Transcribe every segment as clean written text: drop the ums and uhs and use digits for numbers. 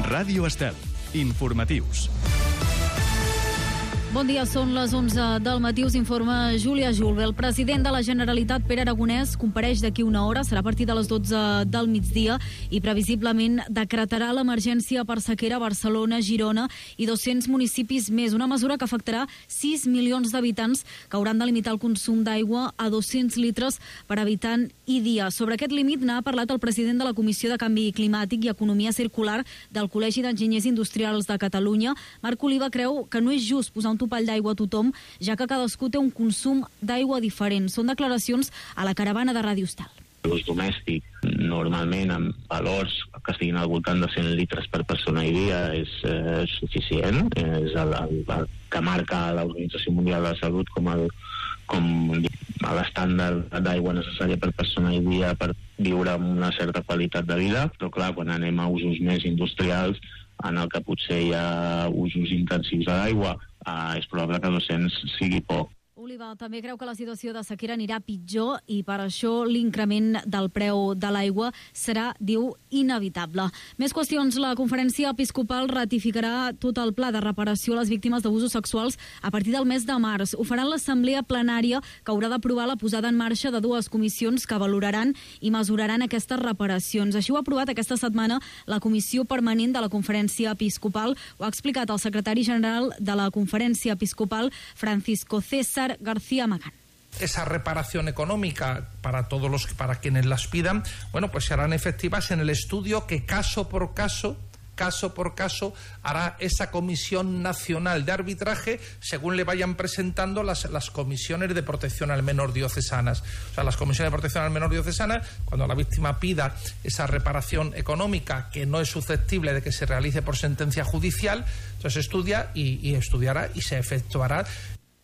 Ràdio Estel. Informatius. Bon dia, són les 11 del matí, us informa Júlia Julve. El president de la Generalitat, Pere Aragonès, compareix d'aquí una hora, serà a partir de les 12 del migdia i previsiblement decretarà l'emergència per sequera a Barcelona, Girona i 200 municipis més, una mesura que afectarà 6 milions d'habitants que hauran de limitar el consum d'aigua a 200 litres per habitant i dia. Sobre aquest límit n'ha parlat el president de la Comissió de Canvi Climàtic i Economia Circular del Col·legi d'Enginyers Industrials de Catalunya. Marc Oliva creu que no és just posar un topall d'aigua a tothom, ja que cadascú té un consum d'aigua diferent. Són declaracions a la caravana de Ràdio Estel. L'ús domèstic, normalment amb valors que estiguin al voltant de 100 litres per persona i dia, és suficient. És el que marca l'Organització Mundial de la Salut com l'estàndard d'aigua necessària per persona i dia per viure amb una certa qualitat de vida. Però clar, quan anem a usos més industrials, en el que potser hi ha usos intensius de l'aigua, és probable que 200 sigui poc. Oliva també creu que la situació de sequera anirà pitjor i per això l'increment del preu de l'aigua serà, diu, inevitable. Més qüestions. La Conferència Episcopal ratificarà tot el pla de reparació a les víctimes d'abusos sexuals a partir del mes de març. Ho farà l'assemblea plenària, que haurà d'aprovar la posada en marxa de dues comissions que valoraran i mesuraran aquestes reparacions. Així ho ha aprovat aquesta setmana la Comissió Permanent de la Conferència Episcopal. Ho ha explicat el secretari general de la Conferència Episcopal, Francisco César García Magán. Esa reparación económica para quienes las pidan, pues serán efectivas en el estudio que caso por caso hará esa Comisión Nacional de Arbitraje según le vayan presentando las comisiones de protección al menor diocesanas. O sea, las comisiones de protección al menor diocesanas, cuando la víctima pida esa reparación económica que no es susceptible de que se realice por sentencia judicial, entonces estudia y estudiará y se efectuará.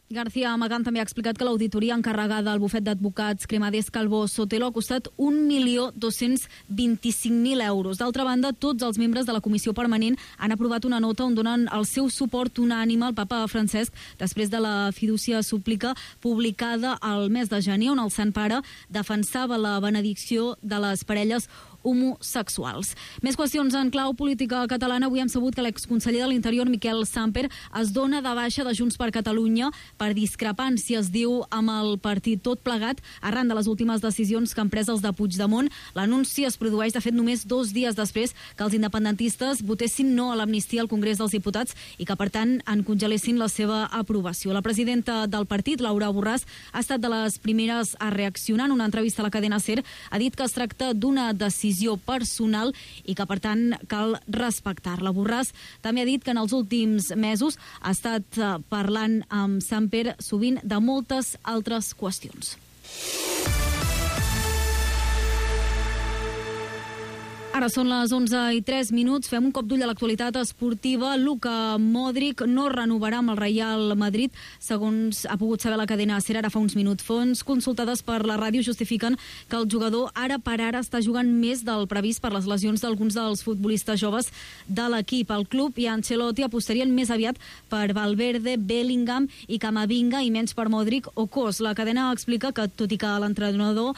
García Magán també ha explicat que l'auditoria encarregada al bufet d'advocats Cremades Calvo Sotelo ha costat 1.225.000 euros. D'altra banda, tots els membres de la Comissió Permanent han aprovat una nota on donen el seu suport unànime al papa Francesc després de la fidúcia súplica publicada al mes de gener, on el Sant Pare defensava la benedicció de les parelles homosexuals. Més qüestions en clau política catalana. Avui hem sabut que l'exconseller de l'Interior, Miquel Samper, es dona de baixa de Junts per Catalunya per discrepàncies, diu, amb el partit, tot plegat arran de les últimes decisions que han pres els de Puigdemont. L'anunci es produeix, de fet, només 2 dies després que els independentistes votessin no a l'amnistia al Congrés dels Diputats i que, per tant, en congelessin la seva aprovació. La presidenta del partit, Laura Borràs, ha estat de les primeres a reaccionar. En una entrevista a la cadena SER ha dit que es tracta d'una decisió personal i que, per tant, cal respectar-la. Borràs també ha dit que en els últims mesos ha estat parlant amb Samper sovint de moltes altres qüestions. Ara són les 11:03. Fem un cop d'ull a l'actualitat esportiva. Luka Modric no renovarà amb el Real Madrid, segons ha pogut saber la cadena SER ara fa uns minuts. Fonts consultades per la ràdio justifiquen que el jugador ara per ara està jugant més del previst per les lesions d'alguns dels futbolistes joves de l'equip. El club i Ancelotti apostarien més aviat per Valverde, Bellingham i Camavinga i menys per Modric o Kroos. La cadena explica que, tot i que a l'entrenador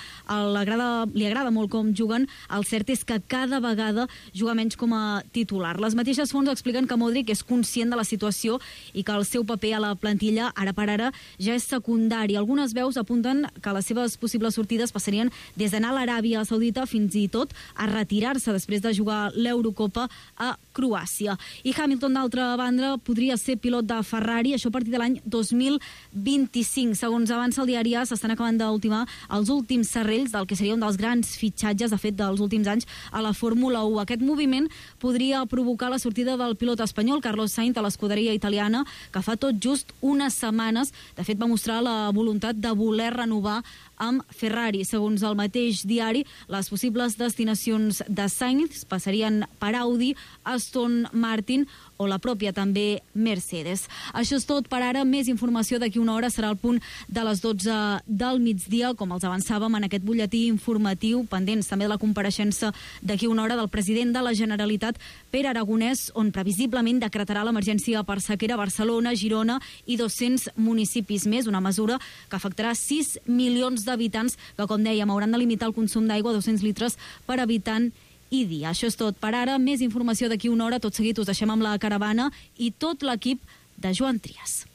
li agrada molt com juguen, el cert és que cada vegada juga menys com a titular. Les mateixes fonts expliquen que Modric és conscient de la situació i que el seu paper a la plantilla ara per ara ja és secundari. Algunes veus apunten que les seves possibles sortides passarien des d'anar a l'Aràbia Saudita fins i tot a retirar-se després de jugar l'Eurocopa a Croàcia. I Hamilton, d'altra banda, podria ser pilot de Ferrari, això a partir de l'any 2025. Segons avança el diari A, s'estan acabant d'ultimar els últims serrells del que seria un dels grans fitxatges, de fet, dels últims anys a la Fórmula 1. Aquest moviment podria provocar la sortida del pilot espanyol Carlos Sainz a l'escuderia italiana, que fa tot just unes setmanes, de fet, va mostrar la voluntat de voler renovar amb Ferrari. Segons el mateix diari, les possibles destinacions de Sainz passarien per Audi, Aston Martin o la pròpia també Mercedes. Això és tot per ara. Més informació d'aquí una hora serà al punt de les 12 del migdia, com els avançàvem en aquest butlletí informatiu, pendents també de la compareixença d'aquí una hora del president de la Generalitat, Pere Aragonès, on previsiblement decretarà l'emergència per sequera a Barcelona, Girona i 200 municipis més, una mesura que afectarà 6 milions d'habitants que, com dèiem, hauran de limitar el consum d'aigua a 200 litres per habitant i dia. Això és tot per ara. Més informació d'aquí una hora. Tot seguit us deixem amb la caravana i tot l'equip de Joan Trias.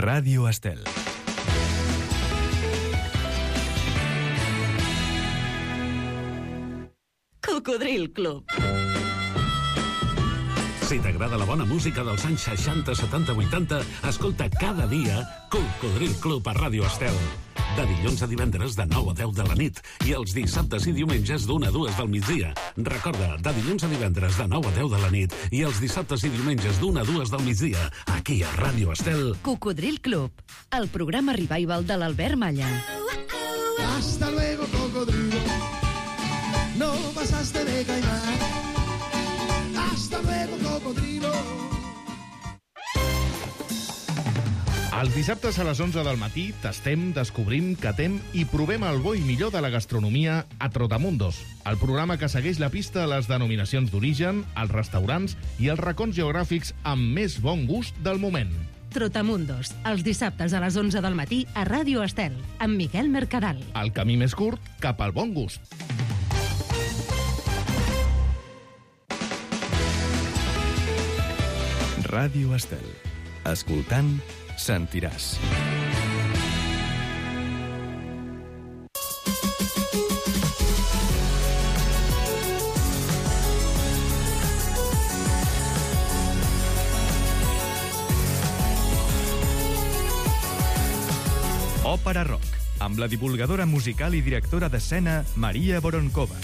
Ràdio Estel. Cocodril Club. Si t'agrada la bona música dels anys 60, 70, 80, escolta cada dia Cocodril Club a Ràdio Estel. De dilluns a divendres de 9 a 10 de la nit i els dissabtes i diumenges d'1 a 2 del migdia. Recorda, de dilluns a divendres de 9 a 10 de la nit i els dissabtes i diumenges d'1 a 2 del migdia, aquí a Ràdio Estel. Cocodril Club, el programa revival de l'Albert Malla. Hasta luego, cocodrilo. No pasaste de caimán. Hasta luego, cocodrilo. Els dissabtes a les 11 del matí tastem, descobrim, catem i provem el bo i millor de la gastronomia a Trotamundos, el programa que segueix la pista a les denominacions d'origen, els restaurants i els racons geogràfics amb més bon gust del moment. Trotamundos, els dissabtes a les 11 del matí a Ràdio Estel, amb Miquel Mercadal. El camí més curt cap al bon gust. Ràdio Estel. Escoltant, sentiràs. Òpera Rock, amb la divulgadora musical i directora d'escena Maria Voronkova.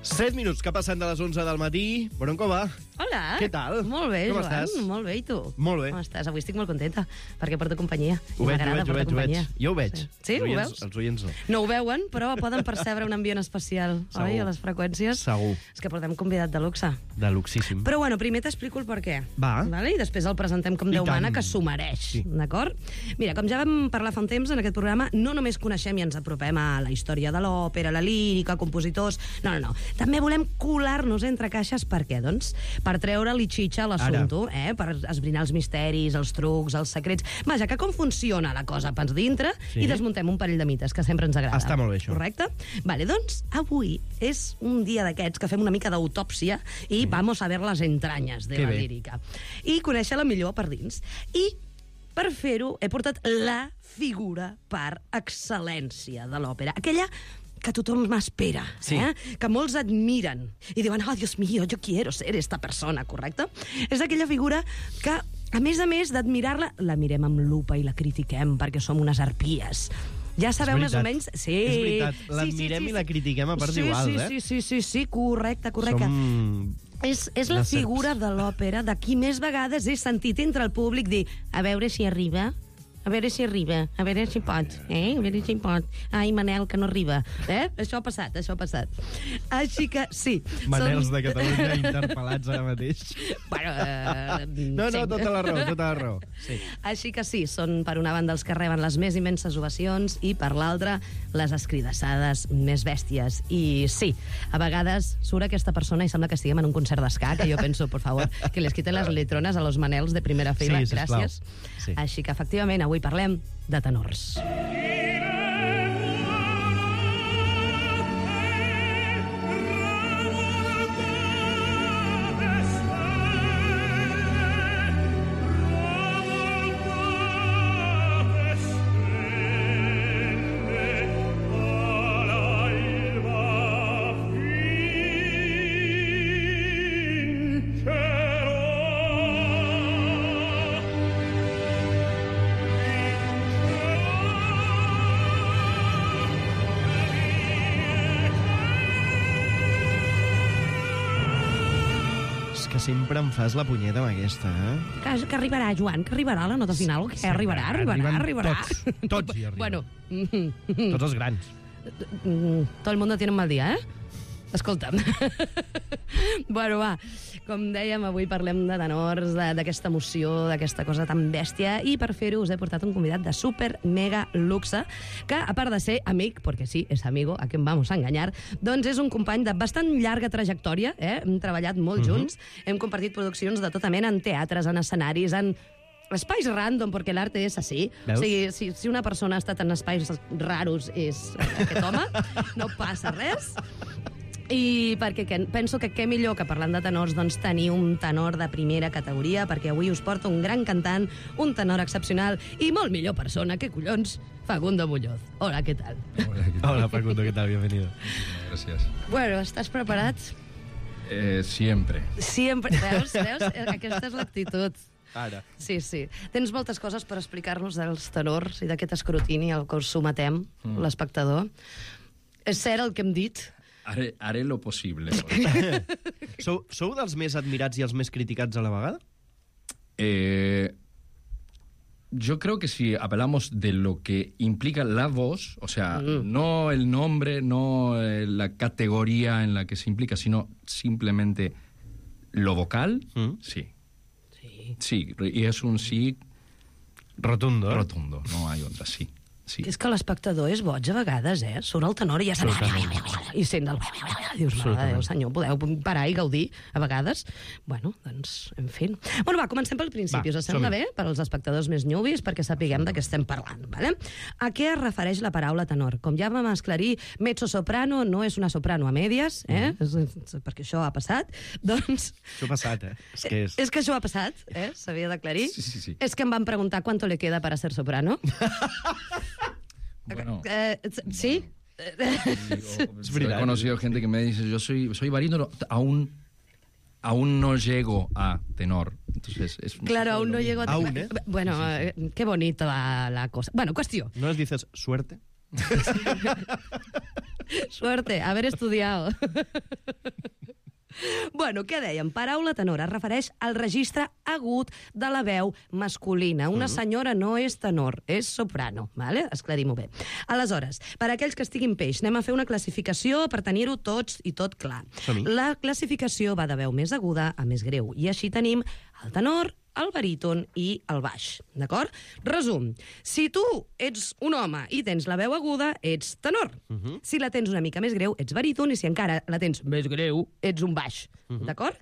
Set minuts que passen de les 11 del matí. Voronkova. Hola. Què tal? Molt bé, Com Joan. estàs? Molt bé, i tu? Molt bé. Com estàs? Avui estic molt contenta, perquè porto companyia. Ho veig, M'agrada portar companyia. Jo ho veig. Sí, ho Els veus? Els oients no. No ho veuen, però poden percebre un ambient especial, Segur. oi, a les freqüències. Segur. És que portem convidat de luxe. De luxíssim. Però bueno, primer t'explico el per què. Va. Vale? I després el presentem com I Déu mana, tant. que s'ho mereix. Sí. D'acord? Mira, com ja vam parlar fa un temps en aquest programa, no només coneixem i ens apropem a la història de l'òpera, la lírica, compositors... No. També volem colar-nos entre caixes. Per què? Doncs per treure-li xitxa a l'assumpte, per esbrinar els misteris, els trucs, els secrets... Vaja, que com funciona la cosa pens dintre i desmuntem un parell de mites, que sempre ens agrada. Està molt bé, això. Correcte? Vale, doncs avui és un dia d'aquests que fem una mica d'autòpsia i vamos a ver les entranyes de Que la bé. lírica. I conèixer-la millor per dins. I per fer-ho he portat la figura per excel·lència de l'òpera. Aquella que tothom m'espera, Sí. que molts admiren i diuen, oh, Dios mío, yo quiero ser esta persona, correcte? És aquella figura que, a més d'admirar-la, la mirem amb lupa i la critiquem perquè som unes arpies. Ja sabeu més o menys... Sí. És veritat, l'admirem i la critiquem a parts iguals, Sí, correcte. Som... És la les serps. figura de l'òpera de qui més vegades he sentit entre el públic dir a veure si arriba, a veure si pot, a veure si pot. Ai, Manel, que no arriba. Això ha passat. Així que, sí. Manels de Catalunya interpel·lats ara mateix. Bueno, No, tota la raó. Sí. Així que sí, són per una banda els que reben les més immenses ovacions i per l'altra les escridassades més bèsties. I sí, a vegades surt aquesta persona i sembla que estiguem en un concert d'esca, que jo penso, por favor, que les quiten les letrones a los Manels de primera fila. Sí, sisplau. Gràcies. Sí. Així que, efectivament, avui parlem de tenors. Que sempre em fas la punyeta amb aquesta, Que arribarà, Joan, que arribarà la nota final. Que arribarà. Tots hi arriben. Bueno, Tots els grans. todo el mundo tiene un mal día, Escolta'm. Bueno, va, Com dèiem, avui parlem de tenors, d'aquesta emoció, d'aquesta cosa tan bèstia, i per fer-ho us he portat un convidat de super mega luxe, que a part de ser amic, perquè sí, és amigo, a quien vamos a engañar, doncs és un company de bastant llarga trajectòria, hem treballat molt junts, hem compartit produccions de tota mena en teatres, en escenaris, en espais random, perquè l'arte és així. Veus? O sigui, si una persona ha estat en espais raros és aquest home, no passa res. I perquè penso que què millor que parlant de tenors doncs tenir un tenor de primera categoria, perquè avui us porto un gran cantant, un tenor excepcional i molt millor persona, que collons, Facundo Muñoz. Hola, ¿qué tal? Hola, Facundo, ¿qué tal? Bienvenido. Gracias. Bueno, ¿estás preparat? Siempre. Siempre. Veus? Aquesta és l'actitud. Ara. Sí. Tens moltes coses per explicar-nos dels tenors i d'aquest escrutini al que us sometem, l'espectador. És cert el que hem dit? Haré lo posible. Sou dels més admirats i els més criticats a la vegada? Yo creo que si apelamos de lo que implica la voz, o sea, no el nombre, no la categoría en la que se implica, sino simplemente lo vocal, sí. Sí, y es un sí rotundo. Rotundo, no hay otra, sí. Sí. És que l'espectador és boig a vegades, Surt el tenor i ja sent... I sent el... Dius, mare de Déu, senyor, podeu parar i gaudir a vegades? Bueno, doncs, en fi. Bueno, va, comencem pel principi. Us sembla bé? Per als espectadors més newbies, perquè sapiguem de què estem parlant, vale? A què es refereix la paraula tenor? Com ja vam esclarir, mezzo-soprano no és una soprano a medias, perquè això ha passat, doncs... Això ha passat, És que això ha passat, s'havia d'aclarir. Sí. És que em van preguntar cuánto le queda para ser soprano. Bueno. ¿Sí? He conocido gente que me dice, yo soy barítono, aún no llego a tenor. Entonces, claro, aún no llego a tenor. Aún, Bueno, qué bonito la cosa. Bueno, cuestión. ¿No les dices suerte? Suerte, haber estudiado. Bueno, què dèiem? Paraula tenor es refereix al registre agut de la veu masculina. Una senyora no és tenor, és soprano, vale? Esclarim-ho bé. Aleshores, per a aquells que estiguin peix, anem a fer una classificació per tenir-ho tots i tot clar. La classificació va de veu més aguda a més greu, i així tenim el tenor, el baríton i el baix, d'acord? Resum, si tu ets un home i tens la veu aguda, ets tenor. Si la tens una mica més greu, ets baríton, i si encara la tens més greu, ets un baix, d'acord?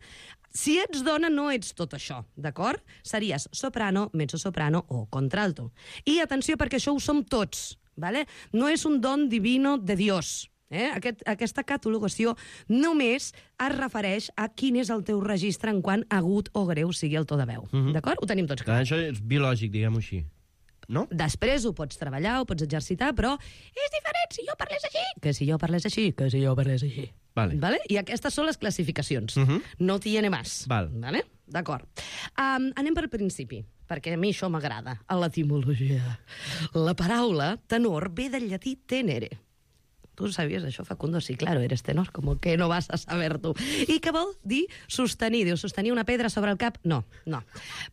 Si ets dona, no ets tot això, d'acord? Series soprano, mezzo-soprano o contralto. I atenció, perquè això ho som tots, vale? No és un don divino de Dios. Aquesta catalogació només es refereix a quin és el teu registre en quant agut o greu sigui el to de veu. D'acord? Ho tenim tots clar. Això és biològic, diguem-ho així. No? Després ho pots treballar, ho pots exercitar, però és diferent si jo parlés així, que si jo parlés així, que si jo parlés així. Vale? I aquestes són les classificacions. No tiene más. Vale? D'acord. Anem pel principi, perquè a mi això m'agrada. A l'etimologia. La paraula tenor ve del llatí tenere. ¿Tú sabías això, Facundo? Sí, claro, eres tenor, como que no vas a saber tu. I què vol dir sostenir? Diu, sostenir una pedra sobre el cap? No.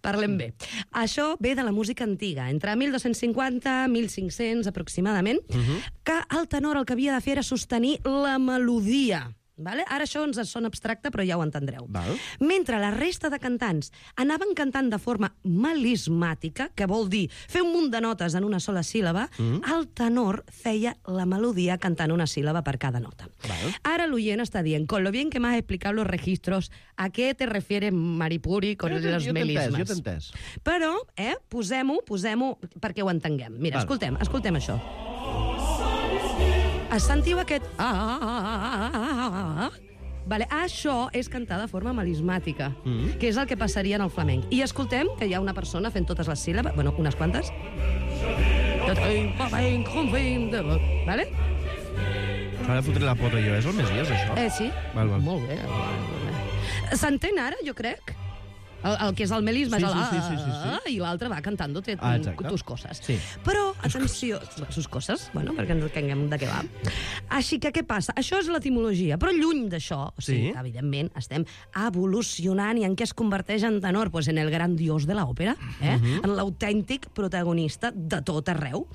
Parlem bé. Això ve de la música antiga, entre 1250 i 1500 aproximadament, que el tenor el que havia de fer era sostenir la melodia. Vale? Ara això ens sona abstracte, però ja ho entendreu. Mentre la resta de cantants anaven cantant de forma melismàtica, que vol dir fer un munt de notes en una sola síl·laba, el tenor feia la melodia cantant una síl·laba per cada nota. Ara l'oient està dient, con lo bien que m'has explicat los registros, ¿a què te refieres, Maripuri, con los melismes? Jo t'he entès. Però, posem-ho perquè ho entenguem. Mira, escoltem això. Sentiu aquest... Vale, això és cantar de forma melismàtica, que és el que passaria en el flamenc. I escoltem que hi ha una persona fent totes les síl·labes, bueno, unes quantes. Vale? S'ha de fotre la pota jo, és el Messies, això? Sí. Molt bé. S'entén ara, jo crec? El que és el melisme és el i l'altre va cantant-te tus coses. Però, atenció, sus coses, bueno, perquè ens entenguem de què va. Així que què passa? Això és l'etimologia, però lluny d'això, o sigui, evidentment, estem evolucionant i en què es converteix en tenor? Pues en el gran dios de l'òpera, en l'autèntic protagonista de tot arreu.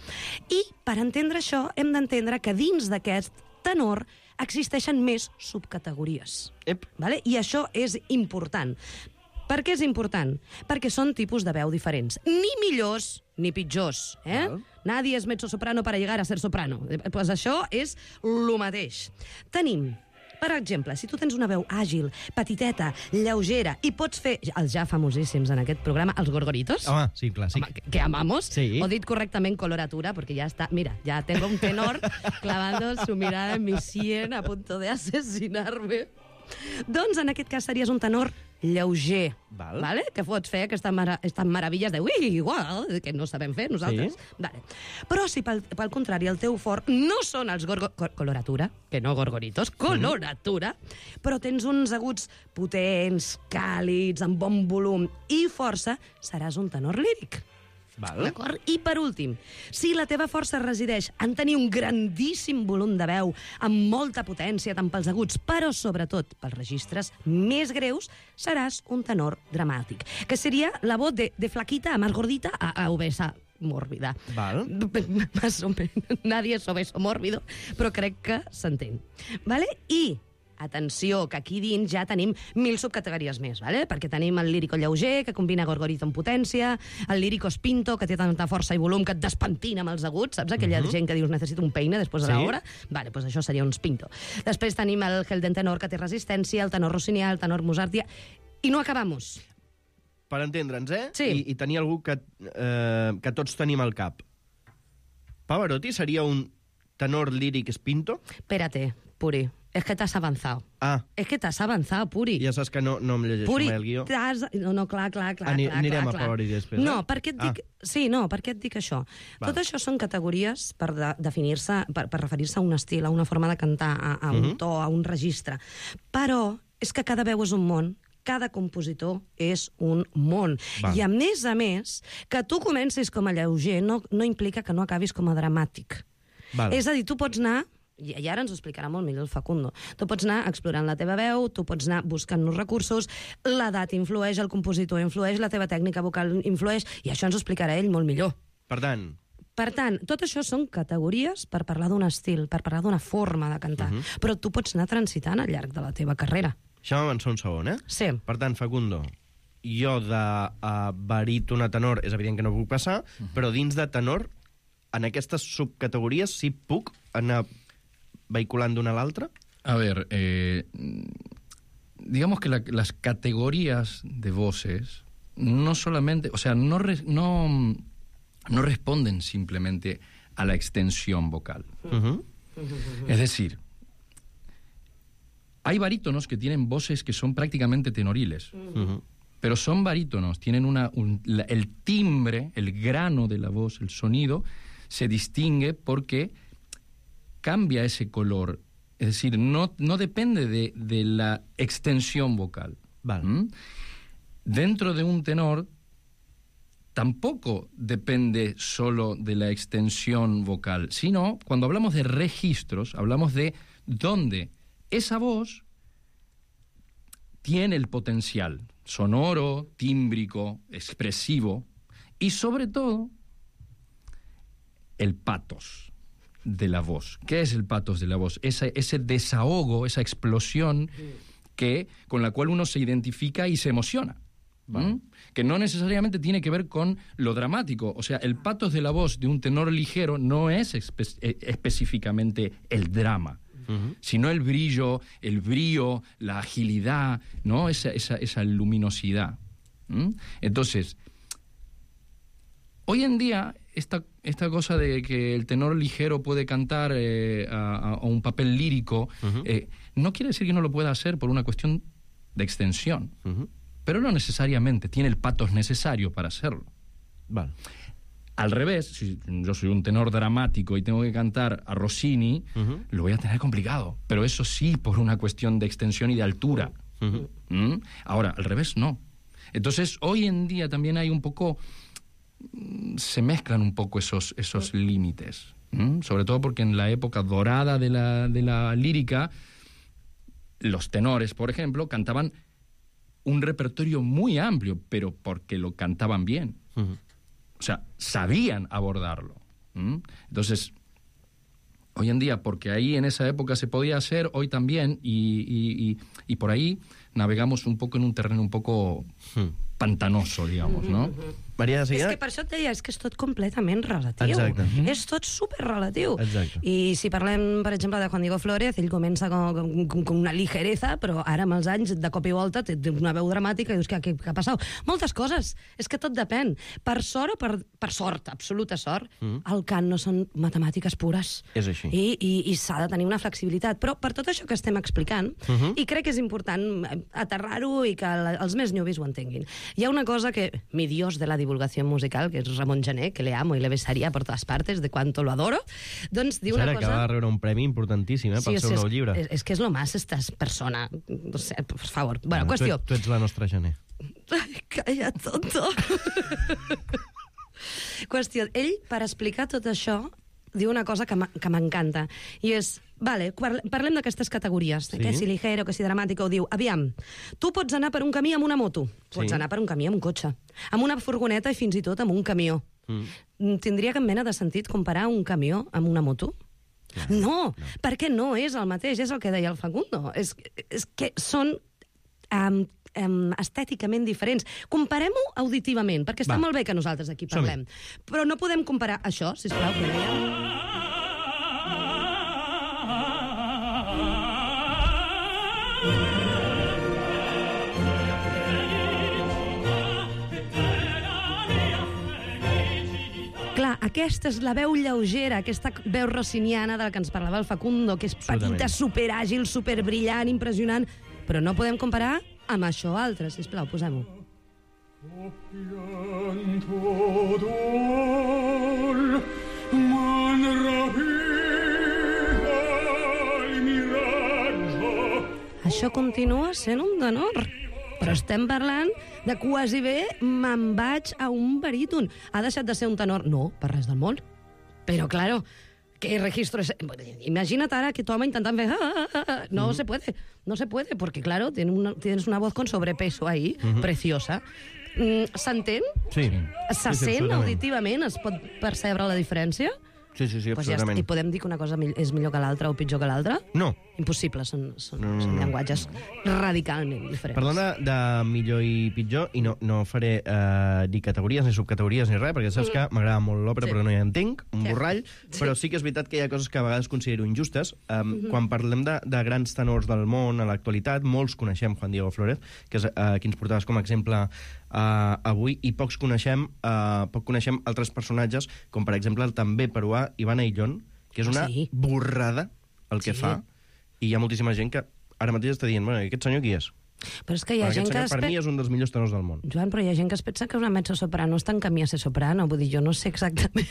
I, per entendre això, hem d'entendre que dins d'aquest tenor existeixen més subcategories. Vale? I això és important. Per què és important? Perquè són tipus de veu diferents. Ni millors ni pitjors. Nadie és mezzo-soprano para llegar a ser soprano. Pues això és lo mateix. Tenim, per exemple, si tu tens una veu àgil, petiteta, lleugera, i pots fer els ja famosíssims en aquest programa, els gorgoritos. Home, sí, clàssic. Home, que amamos. Sí. O dit correctament, coloratura, porque ya está. Mira, ya tengo un tenor clavando su mirada en mi sien a punto de asesinarme. Doncs en aquest cas series un tenor lleuger, vale? Que pots fer aquestes meravilles de igual, que no sabem fer nosaltres. Sí. Vale. Però si pel contrari el teu fort no són els coloratura, que no gorgoritos, coloratura, però tens uns aguts potents, càlids, amb bon volum i força, seràs un tenor líric. D'acord? I per últim, si la teva força resideix en tenir un grandíssim volum de veu, amb molta potència tant pels aguts, però sobretot pels registres més greus, seràs un tenor dramàtic, que seria la voz de flaquita a más gordita a obesa mórbida. Val. Más o menos. Nadie es obeso mórbido, però crec que s'entén. Vale? I atenció, que aquí dins ja tenim 1000 subcategories més, vale? Perquè tenim el lírico lleuger, que combina gorgorito amb potència, el lírico spinto, que té tanta força i volum que et despentina amb els aguts, saps? Aquella gent que dius necessito un peine després de l'hora. Vale, doncs això seria un spinto. Després tenim el Helden tenor, que té resistència, el tenor rossinià, el tenor mozartià, i no acabamos. Per entendre'ns, Sí. I tenir algú que tots tenim al cap. Pavarotti seria un tenor líric spinto? Espérate, Puri. Es que t'has avanzado. Es que t'has avanzado, Puri. Ja saps que no em llegeixo Puri, mai el guió. No, clar. Anirem a Pavarotti després, No, per què et dic... Sí, no, per què et dic això? Tot això són categories per definir-se, per referir-se a un estil, a una forma de cantar, a un to, a un registre. Però és que cada veu és un món, cada compositor és un món. I a més, que tu comencis com a lleuger no implica que no acabis com a dramàtic. És a dir, tu pots anar... I ara ens ho explicarà molt millor el Facundo. Tu pots anar explorant la teva veu, tu pots anar buscant nous recursos, l'edat influeix, el compositor influeix, la teva tècnica vocal influeix, i això ens ho explicarà ell molt millor. Per tant, tot això són categories per parlar d'un estil, per parlar d'una forma de cantar, però tu pots anar transitant al llarg de la teva carrera. Això m'avança un segon, Sí. Per tant, Facundo, jo de baríton a tenor és evident que no puc passar, però dins de tenor, en aquestes subcategories sí puc anar vehiculant d'una a l'altra? A ver, digamos que las categorías de voces no solamente, o sea, no responden simplemente a la extensión vocal. Es decir, hay barítonos que tienen voces que son prácticamente tenoriles, pero son barítonos, tienen el timbre, el grano de la voz, el sonido, se distingue porque cambia ese color. Es decir, no depende de la extensión vocal. Dentro de un tenor tampoco depende solo de la extensión vocal, sino cuando hablamos de registros, hablamos de dónde esa voz tiene el potencial sonoro, tímbrico, expresivo y sobre todo el patos de la voz. ¿Qué es el patos de la voz? Ese desahogo, esa explosión con la cual uno se identifica y se emociona. Que no necesariamente tiene que ver con lo dramático. O sea, el patos de la voz de un tenor ligero no es específicamente el drama, sino el brillo, la agilidad, ¿no? Esa luminosidad. Entonces, hoy en día, esta cosa de que el tenor ligero puede cantar a un papel lírico, no quiere decir que no lo pueda hacer por una cuestión de extensión, pero no necesariamente tiene el patos necesario para hacerlo. Al revés, si yo soy un tenor dramático y tengo que cantar a Rossini, lo voy a tener complicado, pero eso sí por una cuestión de extensión y de altura. Ahora, al revés no. Entonces, hoy en día también hay un poco... se mezclan un poco esos límites, sobre todo porque en la época dorada de la lírica, los tenores, por ejemplo, cantaban un repertorio muy amplio, pero porque lo cantaban bien. O sea, sabían abordarlo. Entonces, hoy en día, porque ahí en esa época se podía hacer, hoy también, y por ahí navegamos un poco en un terreno un poco pantanoso, digamos, ¿no? Maria de Seguida... És que per això et deia, és que és tot completament relatiu. Exacte. És tot superrelatiu. Exacte. I si parlem, per exemple, de Juan Diego Flórez, ell comença con una ligereza, però ara amb els anys, de cop i volta, té una veu dramàtica i dius, què ha passat? Moltes coses. És que tot depèn. Per sort o per sort, absoluta sort, el cant no són matemàtiques pures. És així. I s'ha de tenir una flexibilitat. Però per tot això que estem explicant, i crec que és important aterrar-ho i que els més newbies ho entenguin. Hi ha una cosa que, mi dios de la divulgación musical, que és Ramon Gené, que le amo y le besaría por todas partes, de cuánto lo adoro, doncs diu una cosa... Acaba de rebre un premi importantíssim pel seu nou llibre. És que és lo más, esta persona. O sea, por favor. Bueno, qüestió. Tu ets la nostra Gené. Ai, calla, tonto. Qüestió. Ell, per explicar tot això, diu una cosa que m'encanta, i és, vale, parlem d'aquestes categories, que si ligero, que si dramàtic, ho diu, aviam, tu pots anar per un camí amb una moto, pots anar per un camí amb un cotxe, amb una furgoneta i fins i tot amb un camió. Tindria cap mena de sentit comparar un camió amb una moto? No, perquè no és el mateix, és el que deia el Facundo, és que són estèticament diferents. Comparem-ho auditivament, perquè està molt bé que nosaltres aquí parlem. Però no podem comparar això, sisplau, que dèiem. Clar, aquesta és la veu lleugera, aquesta veu rossiniana de la que ens parlava el Facundo, que és petita, superàgil, superbrillant, impressionant, però no podem comparar amb això altre. Sisplau, posem-ho. Això continua sent un tenor. Però estem parlant de quasi bé me'n vaig a un baríton. Ha deixat de ser un tenor? No, per res del món. Però, claro, ¿qué registro es? Imagínate ahora que tu home intentant fer... No se puede, no se puede, porque, claro, tienes una voz con sobrepeso ahí, preciosa. S'entén? Sí. Se sent auditivament? Es pot percebre la diferència? Sí, absolutament. I podem dir que una cosa és millor que l'altra o pitjor que l'altra? No. Impossible, són llenguatges radicalment diferents. Parlant de millor i pitjor, i no faré ni categories ni subcategories ni res, perquè saps que m'agrada molt l'òpera però no hi entenc, un borrall, però sí que és veritat que hi ha coses que a vegades considero injustes. Quan parlem de grans tenors del món a l'actualitat, molts coneixem Juan Diego Flórez, que és qui ens portaves com a exemple avui, i poc coneixem altres personatges, com per exemple el també peruà Iván Ayllón, que és una borrada el que fa, i hi ha moltíssima gent que ara mateix està dient, bueno, aquest senyor qui és? Però és que hi ha gent que... Per mi és un dels millors tenors del món. Joan, però hi ha gent que es pensa que una mezzosoprano està en camí a ser soprano, vull dir, jo no sé exactament...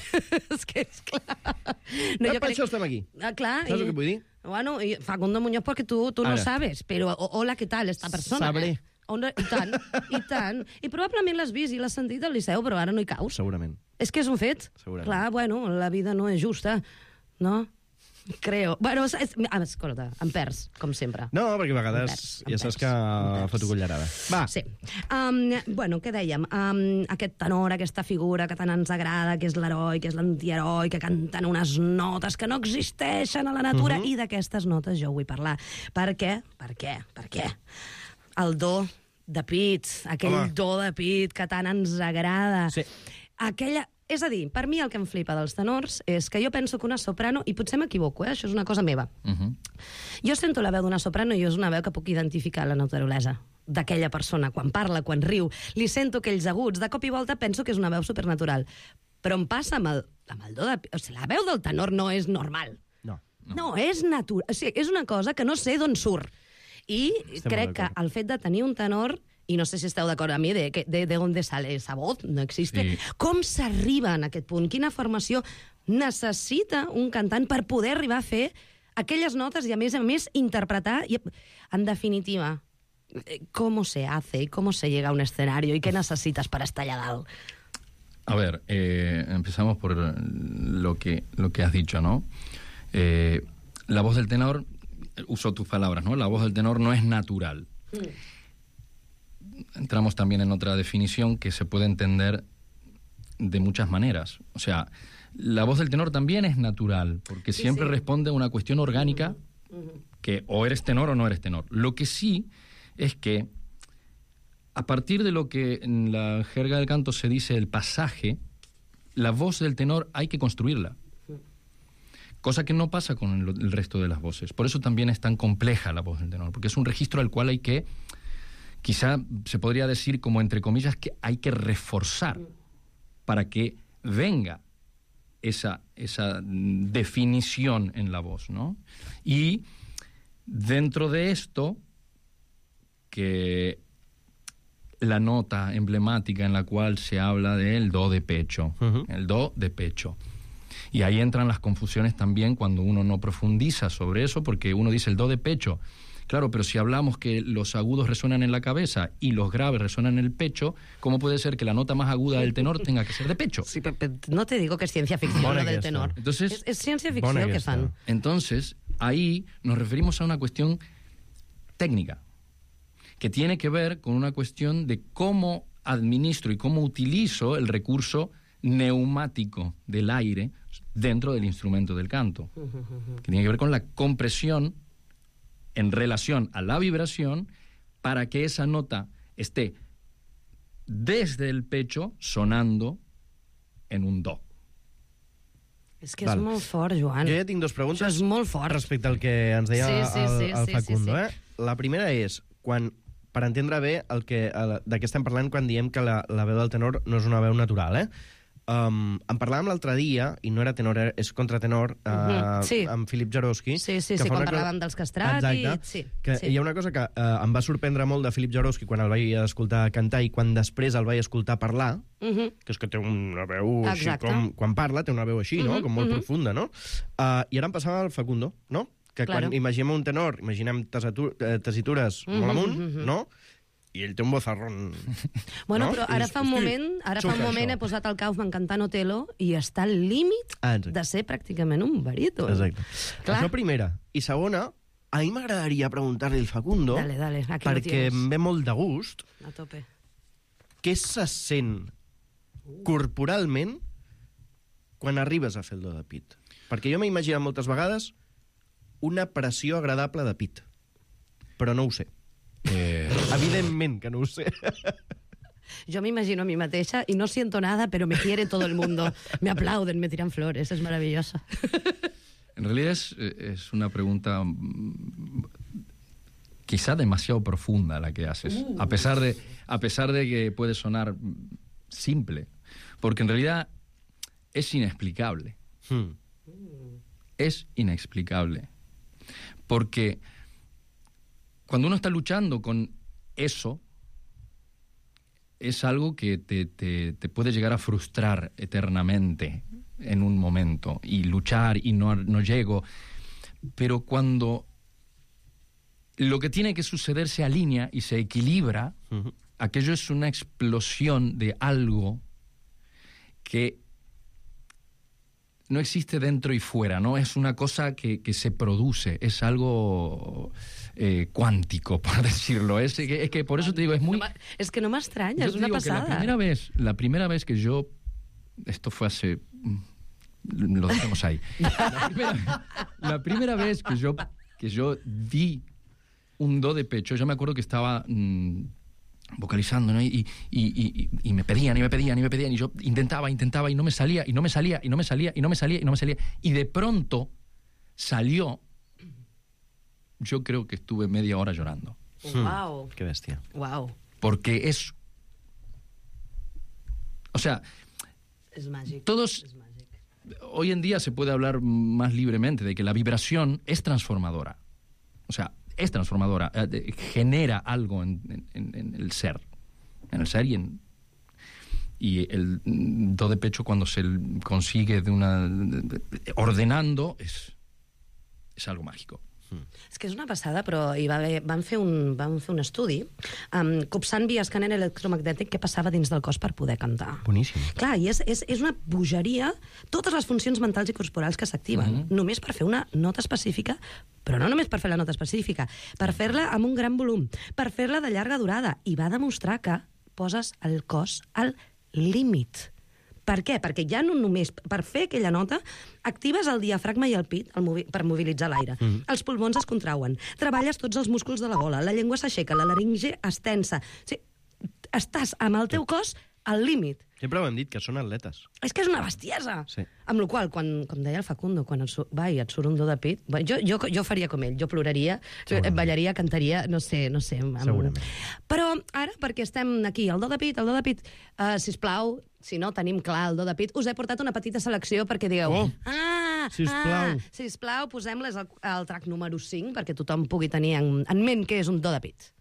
És que és clar... No, per això estem aquí. Clar. Saps el que vull dir? Bueno, Facundo Muñoz, porque tú no sabes, però hola, què tal, esta persona? Sabré. I tant. I probablement l'has vist i l'has sentit al Liceu, però ara no hi caus. Segurament. És que és un fet. Segurament. Clar, bueno, la vida no és justa, no? Creo. Bueno, escolta, em perds, com sempre. No, perquè a vegades ja saps que foto cullerada. Va. Sí. Bueno, què dèiem? Aquest tenor, aquesta figura que tant ens agrada, que és l'heroi, que és l'antiheroi, que canten unes notes que no existeixen a la natura, i d'aquestes notes jo vull parlar. Per què? El do de pit, aquell do de pit que tant ens agrada. Sí. És a dir, per mi el que em flipa dels tenors és que jo penso que una soprano, i potser m'equivoco, això és una cosa meva, jo sento la veu d'una soprano i és una veu que puc identificar la naturalesa d'aquella persona, quan parla, quan riu, li sento aquells aguts, de cop i volta penso que és una veu supernatural. Però em passa amb el do de... O sigui, la veu del tenor no és normal. No, és natural. O sigui, és una cosa que no sé d'on surt. I crec que el fet de tenir un tenor, i no sé si esteu d'acord amb mi, de on sale esa voz, no existe. Sí. Com s'arriba en aquest punt? Quina formació necessita un cantant per poder arribar a fer aquelles notes i, a més, interpretar? I, en definitiva, ¿cómo se hace? ¿Cómo se llega a un escenario? ¿Y qué necesitas para estar allá dalt? A ver, empezamos por lo que has dicho, ¿no? La voz del tenor, uso tus palabras, ¿no? La voz del tenor no es natural. Entramos también en otra definición que se puede entender de muchas maneras. O sea, La voz del tenor también es natural, porque siempre responde a una cuestión orgánica que o eres tenor o no eres tenor. Lo que sí es que a partir de lo que en la jerga del canto se dice el pasaje, la voz del tenor hay que construirla. Cosa que no pasa con el resto de las voces. Por eso también es tan compleja la voz del tenor, porque es un registro al cual hay que, quizá se podría decir como entre comillas, que hay que reforzar para que venga esa definición en la voz, ¿no? Y dentro de esto, que la nota emblemática en la cual se habla del do de pecho, el do de pecho. Y ahí entran las confusiones también cuando uno no profundiza sobre eso, porque uno dice el do de pecho. Claro, pero si hablamos que los agudos resuenan en la cabeza y los graves resuenan en el pecho, ¿cómo puede ser que la nota más aguda del tenor tenga que ser de pecho? Sí, pero no te digo que es ciencia ficción lo del tenor. Entonces, es ciencia ficción que fan. Entonces, ahí nos referimos a una cuestión técnica, que tiene que ver con una cuestión de cómo administro y cómo utilizo el recurso neumático del aire dentro del instrumento del canto, que tiene que ver con la compresión en relación a la vibración para que esa nota esté desde el pecho sonando en un do. És que és molt fort, Joan. Jo ja tinc dues preguntes. Això és molt fort. Respecte al que ens deia el Facundo. La primera és, per entendre bé de què estem parlant quan diem que la veu del tenor no és una veu natural, en parlàvem l'altre dia, i no era tenor, és contratenor, amb Filip Jaroski. Sí, quan parlàvem dels castrats. Exacte. Hi ha una cosa que em va sorprendre molt de Filip Jaroski quan el vaig escoltar cantar i quan després el vaig escoltar parlar, que és que té una veu així, quan parla té una veu així, no? Com molt profunda, no? I ara em passava al Facundo, no? Que quan imaginem un tenor, imaginem tessitures molt amunt, no? I ell té un vozarrón. Bueno, però ara fa un moment he posat el Kaufman cantant Otelo i està al límit de ser pràcticament un baríton. Exacte. Això primera. I segona, a mi m'agradaria preguntar-li al Facundo, perquè em ve molt de gust, a tope, què se sent corporalment quan arribes a fer el do de pit? Perquè jo m'he imaginat moltes vegades una pressió agradable de pit, però no ho sé. Evidentment que no ho sé. Yo me imagino a mí mateixa y no siento nada, pero me quiere todo el mundo. Me aplauden, me tiran flores, es maravillosa. En realidad es una pregunta quizá demasiado profunda la que haces, a pesar de que puede sonar simple, porque en realidad es inexplicable. Es inexplicable. Porque cuando uno está luchando con eso, es algo que te puede llegar a frustrar eternamente en un momento, y luchar y no llego. Pero cuando lo que tiene que suceder se alinea y se equilibra, aquello es una explosión de algo que no existe dentro y fuera, ¿no? Es una cosa que se produce, es algo cuántico, por decirlo. Es que por eso te digo, es muy... Es que no me extraña, es una pasada. La primera vez que yo... Esto fue hace... Lo dejamos ahí. La primera vez que yo di un do de pecho, yo me acuerdo que estaba... vocalizando, ¿no? Y me pedían, y yo intentaba, y no me salía, y de pronto salió. Yo creo que estuve media hora llorando. Wow. Qué bestia. Wow. Porque es... O sea... Es mágico. Todos... Hoy en día se puede hablar más libremente de que la vibración es transformadora. O sea, es transformadora, genera algo en el ser. En el ser y el do de pecho, cuando se consigue ordenando, es algo mágico. És que és una passada, però van fer un estudi copsant via escàner electromagnètic què passava dins del cos per poder cantar. Boníssim. Clar, i és una bogeria totes les funcions mentals i corporals que s'activen, només per fer una nota específica, però no només per fer la nota específica, per fer-la amb un gran volum, per fer-la de llarga durada, i va demostrar que poses el cos al límit Per què? Perquè ja no només per fer aquella nota actives el diafragma i el pit per mobilitzar l'aire. Els pulmons es contrauen, treballes tots els músculs de la gola, la llengua s'aixeca, la laringe es tensa. O sigui, estàs amb el teu cos al límit. Sempre ho hem dit, que són atletes. És que és una bestiesa. Sí. Amb la qual cosa, com deia el Facundo, quan et surt un do de pit, jo faria com ell, jo ploraria, ballaria, cantaria, no sé. Segurament. Però ara, perquè estem aquí, el do de pit, sisplau, si no tenim clar el do de pit, us he portat una petita selecció perquè digueu... Sisplau, posem-les al track número 5 perquè tothom pugui tenir en ment què és un do de pit.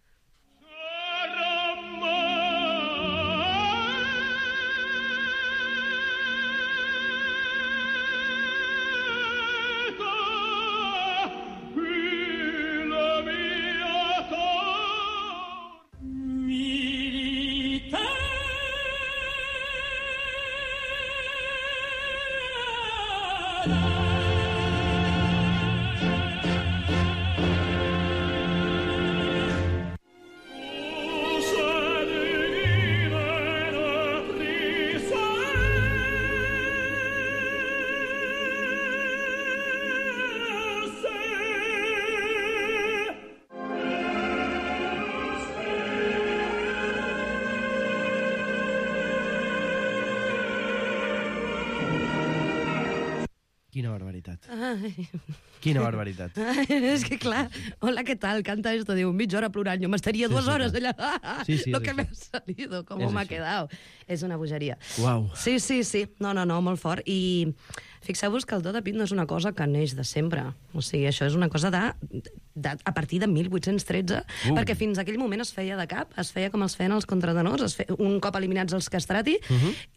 Quina barbaritat. Ai. Quina barbaritat. És que clar, hola, què tal? Canta esto, diu, mitja hora plorant, jo m'estaria 2 hores allà. Lo que me ha salido, com m'ha quedat. És una bogeria. Uau. Sí. No, molt fort. I fixeu-vos que el do de pit no és una cosa que neix de sempre. O sigui, això és una cosa a partir de 1813, perquè fins aquell moment es feia de cap, es feia com els feien els contratenors, un cop eliminats els castrati,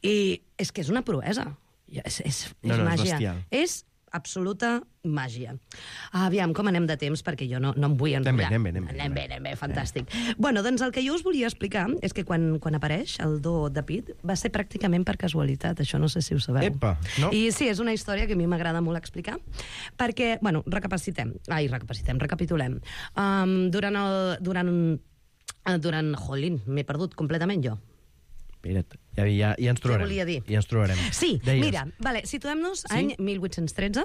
i és que és una proesa. És màgia. És bestial. És absoluta màgia. Aviam, com anem de temps, perquè jo no em vull enrotllar. Anem bé, fantàstic. Bueno, doncs el que jo us volia explicar és que quan apareix el do de pit va ser pràcticament per casualitat, això no sé si ho sabeu. Epa, no? I sí, és una història que a mi m'agrada molt explicar, perquè, bueno, recapitulem. Jolín, m'he perdut completament jo. Mira't, ja ens trobarem. Què volia dir? Ja ens trobarem. Sí, mira, situem-nos any 1813.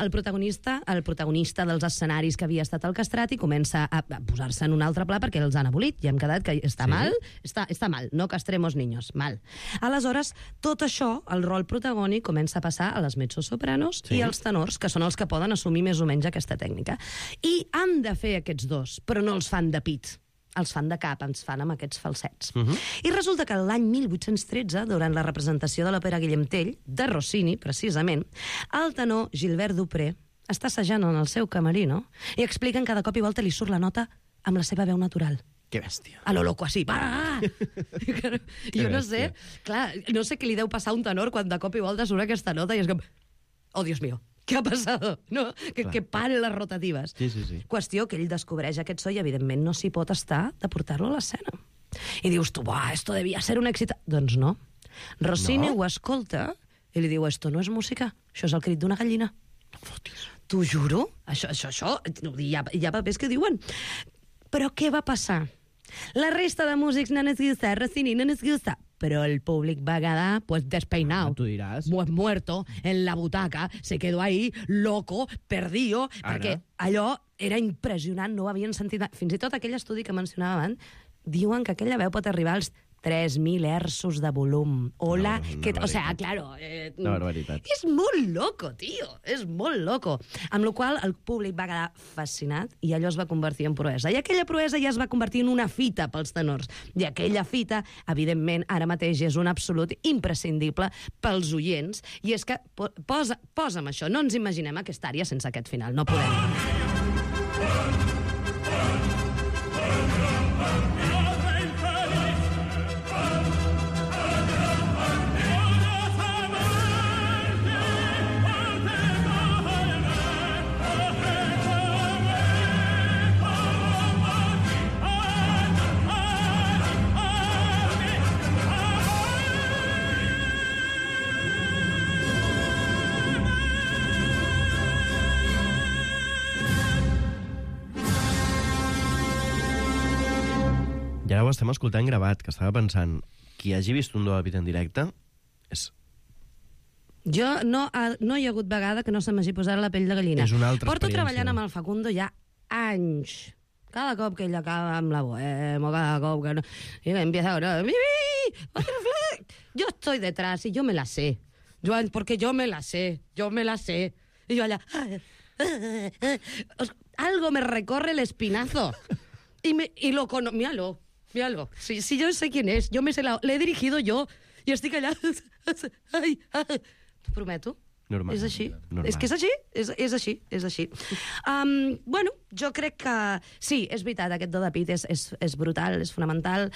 El protagonista dels escenaris que havia estat al Castrati comença a posar-se en un altre pla perquè els han abolit i hem quedat que està mal, està mal, no castremos niños, mal. Aleshores, tot això, el rol protagònic comença a passar a les mezzosopranos i als tenors, que són els que poden assumir més o menys aquesta tècnica. I han de fer aquests dos, però no els fan de pit. Els fan de cap, ens fan amb aquests falsets. I resulta que l'any 1813, durant la representació de l'òpera Guillem Tell, de Rossini, precisament, el tenor Gilbert Dupré està assajant en el seu camerino i expliquen que de cop i volta li surt la nota amb la seva veu natural. Que bèstia. A lo loco, així. Jo no sé, clar, no sé què li deu passar a un tenor quan de cop i volta surt aquesta nota i és com... Oh, Dios mío. ¿Qué ha pasado? No? Que pare les rotatives. Sí. Qüestió que ell descobreix aquest so i, evidentment, no s'hi pot estar de portar-lo a l'escena. I dius tu, esto devia ser un èxit. Doncs no. Rossini ho escolta i li diu, esto no és música, això és el crit d'una gallina. T'ho juro? Això, hi ha papers que diuen. Però què va passar? La resta de músics no ens gusta, Rossini no ens gusta. Pero el públic va quedar despeinado. Tú dirás. Muerto en la butaca, se quedó ahí, loco, perdido, perquè allò era impressionant, no ho havien sentit. Fins i tot aquell estudi que mencionava abans, diuen que aquella veu pot arribar als 3.000 hertzos de volum. Hola, o sea, claro... Una barbaritat. És molt loco, tio, és molt loco. Amb la qual el públic va quedar fascinat i allò es va convertir en proesa. I aquella proesa ja es va convertir en una fita pels tenors. I aquella fita, evidentment, ara mateix és un absolut imprescindible pels oients. I és que, posa'm això, no ens imaginem aquesta àrea sense aquest final, no podem. I ara ho estem escoltant gravat, que estava pensant, qui hagi vist un do de pit en directe és Jo no hi ha hagut vegada que no se m'hagi posat la pell de gallina. És una altra Porto experiència. treballant amb el Facundo ja anys. Cada cop que ell acaba amb la bohemo, cada cop que no... Y empieza ahora... Yo estoy detrás y yo me la sé. Porque yo me la sé. Y yo allá... Algo me recorre el espinazo. Y lo conozco... Míralo. Si yo sé quién es, yo me sé le he dirigido yo. I estic allà... T'ho prometo. Normal. És així. Normal. És que és així. És així. Bueno, jo crec que... Sí, és veritat, aquest do de pit és brutal, és fonamental.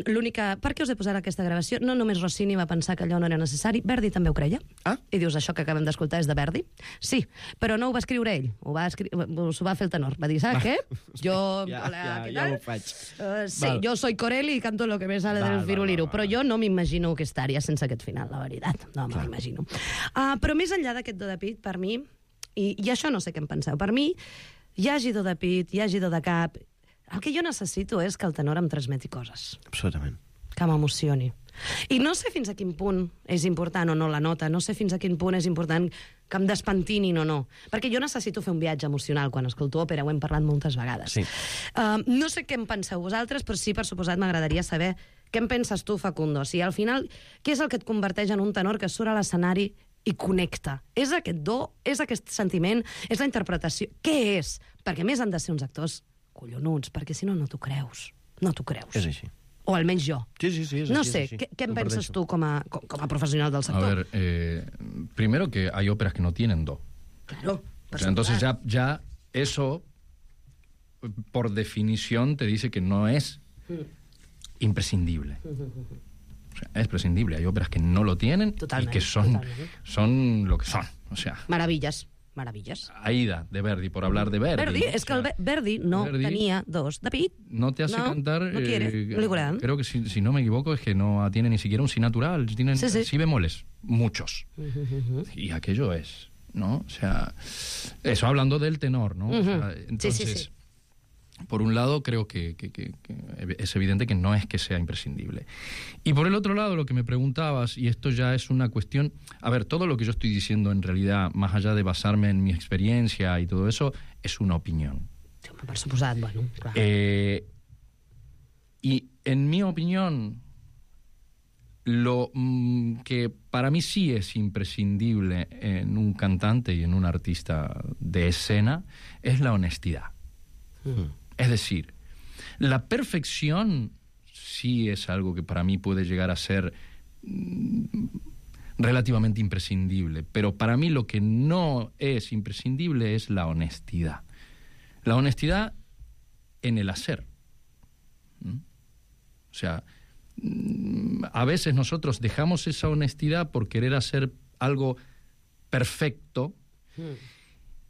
L'única... Per què us he posat aquesta gravació? No només Rossini va pensar que allò no era necessari, Verdi també ho creia. I dius, això que acabem d'escoltar és de Verdi? Sí, però no ho va escriure ell, s'ho va fer el tenor. Va dir, ¿sabes qué? Jo... Ja ho faig. Sí, jo soy Corelli i canto lo que me sale del firuliro, però jo no m'imagino que estaria sense aquest final, la veritat. No me l'imagino. Però més enllà d'aquest do de pit, per mi, i això no sé què en penseu, per mi, hi hagi do de pit, hi hagi do de cap... El que jo necessito és que el tenor em transmeti coses. Absolutament. Que m'emocioni. I no sé fins a quin punt és important o no la nota, no sé fins a quin punt és important que em despentinin o no. Perquè jo necessito fer un viatge emocional quan escolto òpera, ho hem parlat moltes vegades. Sí. No sé què en penseu vosaltres, però sí, per suposat, m'agradaria saber què en penses tu, Facundo. O sigui, al final, què és el que et converteix en un tenor que surt a l'escenari i connecta? És aquest do? És aquest sentiment? És la interpretació? Què és? Perquè a més han de ser uns actors collonuts, perquè si no, no t'ho creus. No t'ho creus. És així. O almenys jo. Sí, és no així, sé, és així. què en penses tu com a profesional del sector? A ver, primero que hay óperas que no tienen do. Claro. O sea, entonces ya eso, por definición, te dice que no es imprescindible. O sea, es prescindible. Hay óperas que no lo tienen y que son lo que son. O sea, maravillas. Aida, de Verdi, por hablar de Verdi. Es que el Verdi no tenía dos de pit. No te hace cantar... No quiere, creo que si no me equivoco es que no tiene ni siquiera un si natural, tienen si bemoles, muchos. Y aquello es, ¿no? O sea, eso hablando del tenor, ¿no? O sea, entonces, por un lado creo que es evidente que no es que sea imprescindible. Y por el otro lado, lo que me preguntabas, y esto ya es una cuestión... A ver, todo lo que yo estoy diciendo en realidad, más allá de basarme en mi experiencia y todo eso, es una opinión. Per suposat, bueno, clar. Y en mi opinión, lo que para mí sí es imprescindible en un cantante y en un artista de escena es la honestidad. Es decir, la perfección sí es algo que para mí puede llegar a ser relativamente imprescindible, pero para mí lo que no es imprescindible es la honestidad. La honestidad en el hacer. O sea, a veces nosotros dejamos esa honestidad por querer hacer algo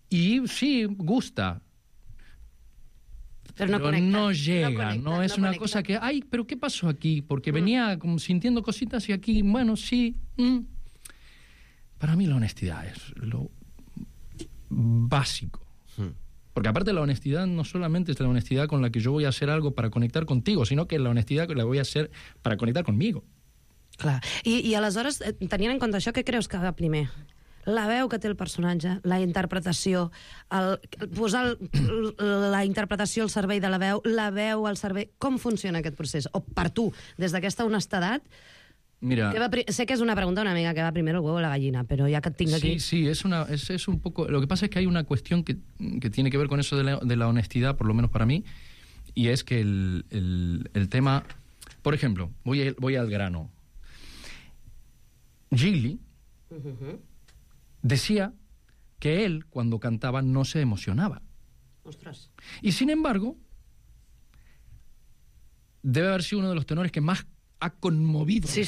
y sí, gusta, pero no llega, no es una cosa que, ay, pero ¿qué pasó aquí? Porque venía como sintiendo cositas y aquí, bueno, sí. Para mí la honestidad es lo básico. Porque aparte la honestidad no solamente es la honestidad con la que yo voy a hacer algo para conectar contigo, sino que la honestidad que la voy a hacer para conectar conmigo. Clar. I aleshores, tenint en compte això, què creus que va primer? La veu que té el personatge, la interpretació, posar la interpretació al servei de la veu al servei... Com funciona aquest procés? O per tu, des d'aquesta honestedat... Mira, sé que es una pregunta una amiga que va primero el huevo o la gallina, pero ya que tengo aquí... Sí, es un poco... Lo que pasa es que hay una cuestión que tiene que ver con eso de la honestidad, por lo menos para mí, y es que el tema... Por ejemplo, voy al grano. Gigli decía que él, cuando cantaba, no se emocionaba. Ostras. Y sin embargo, debe haber sido uno de los tenores que más ha conmovido. Sí.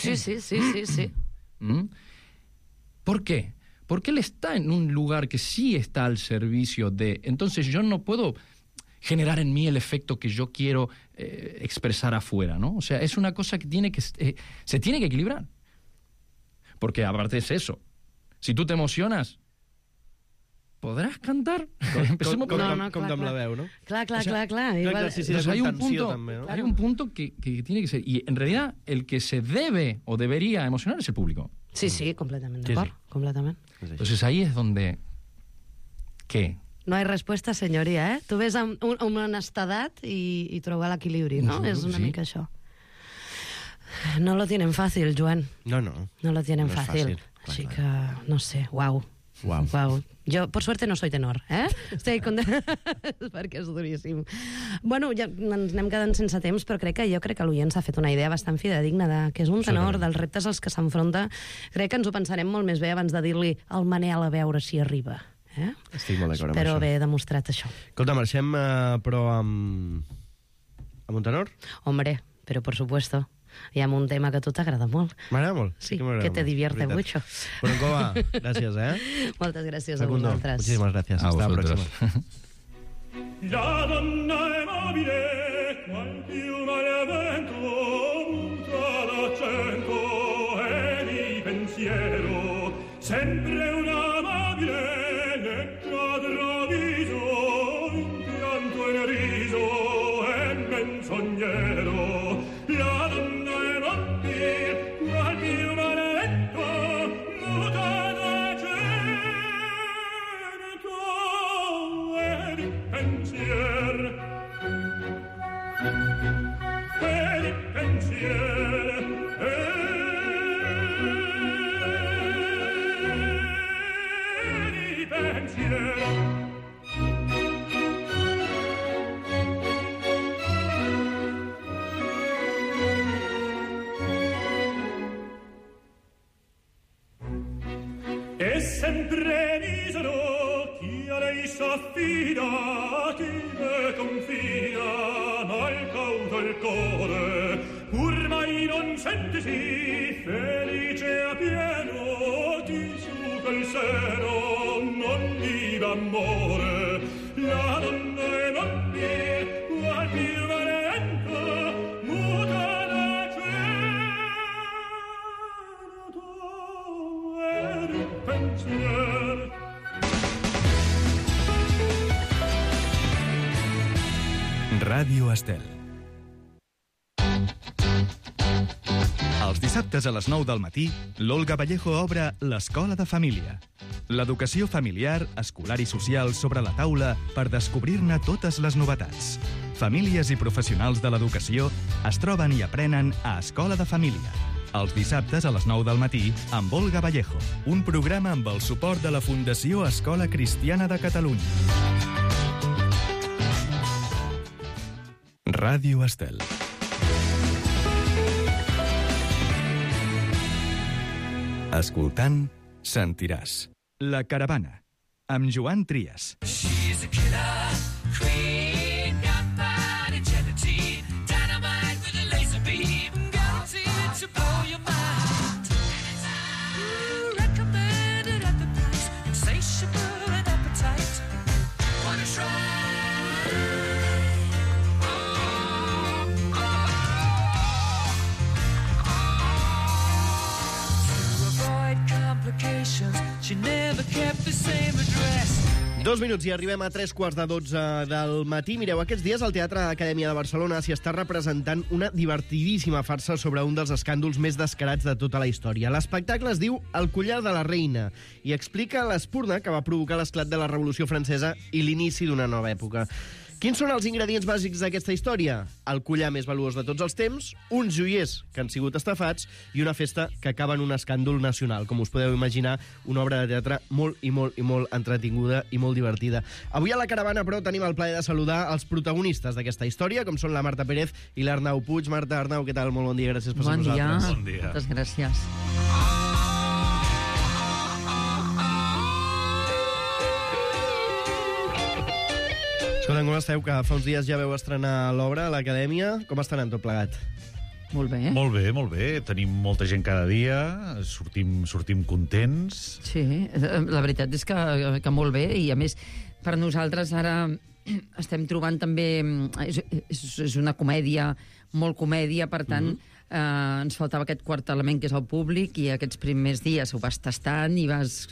¿Por qué? Porque él está en un lugar que sí está al servicio de... Entonces yo no puedo generar en mí el efecto que yo quiero expresar afuera, ¿no? O sea, es una cosa que se tiene que equilibrar. Porque aparte es eso. Si tú te emocionas, ¿podrás cantar? Com amb la veu, no? Clar. Hay un punto que tiene que ser... Y en realidad el que se debe o debería emocionar es el público. Sí, sí, completament d'acord. Completament. Entonces ahí es donde... ¿Qué? No hay respuesta, senyoria, Tu ves amb honestedat i trobar l'equilibri, no? És una mica això. No lo tienen fácil, Joan. No. No lo tienen no fácil. Així que, no sé, uau. Jo, por suerte, no soy tenor, Estic perquè és duríssim. Bueno, ja ens anem quedant sense temps, però crec que l'oient s'ha fet una idea bastant fidedigna de què és un tenor, dels reptes als que s'enfronta. Crec que ens ho pensarem molt més bé abans de dir-li al Manel a veure si arriba. Estic molt d'acord amb Espero això. haver demostrat això. Escolta, marxem, però amb un tenor? Hombre, pero por supuesto. Hi ha un tema que a tu t'agrada molt. M'agrada molt. Sí, que te divierte mucho. Boronkova, gràcies, Moltes gràcies Facundo, a vosaltres. muchísimas gracias. Hasta la próxima. La donna è mobile, qual piuma al vento, muta d'accento e di pensiero, sempre una mobile, nel viso, in pianto e nel riso, e menzognero. La donna è mobile, qual piuma al vento, muta d'accento e di pensiero. E di pensiero. E sempre misero chi a lei s'affida, chi le confida, mal cauto il cuore, pur mai non sentisi felice a pieno, ti suca il seno, non viva amore. La donna è mobile, qual più valente, muta d'accento e di pensiero. Ràdio Estel. Els dissabtes a les 9 del matí, l'Olga Vallejo obre l'Escola de Família. L'educació familiar, escolar i social sobre la taula per descobrir-ne totes les novetats. Famílies i professionals de l'educació es troben i aprenen a Escola de Família. Els dissabtes a les 9 del matí amb Olga Vallejo, un programa amb el suport de la Fundació Escola Cristiana de Catalunya. Ràdio Estel. Escoltant, sentiràs. La Caravana, amb Joan Trias. She's a killer queen, gunpowder gelatine, dynamite with a laser beam, guaranteed to blow your mind. Recommended at the price, insatiable and appetite. Wanna try? She never kept the same address. 2 minuts i arribem a 3:15 del matí. Mireu, aquests dies al Teatre Acadèmia de Barcelona s'hi està representant una divertidíssima farsa sobre un dels escàndols més descarats de tota la història. L'espectacle es diu El collar de la reina i explica l'espurna que va provocar l'esclat de la Revolució Francesa i l'inici d'una nova època. Quins són els ingredients bàsics d'aquesta història? El collar més valuós de tots els temps, uns joiers que han sigut estafats i una festa que acaba en un escàndol nacional. Com us podeu imaginar, una obra de teatre molt entretinguda i molt divertida. Avui a la Caravana, però, tenim el plaer de saludar els protagonistes d'aquesta història, com són la Marta Pérez i l'Arnau Puig. Marta, Arnau, què tal? Molt bon dia, gràcies per ser amb nosaltres. Bon dia. Moltes gràcies. Escolta, com esteu? Que fa uns dies ja veu estrenar l'obra a l'Acadèmia. Com està anant tot plegat? Molt bé. Molt bé, molt bé. Tenim molta gent cada dia, sortim contents. Sí, la veritat és que molt bé, i a més, per nosaltres ara estem trobant també... És una comèdia, molt comèdia, per tant, ens faltava aquest quart element, que és el públic, i aquests primers dies ho vas tastant i vas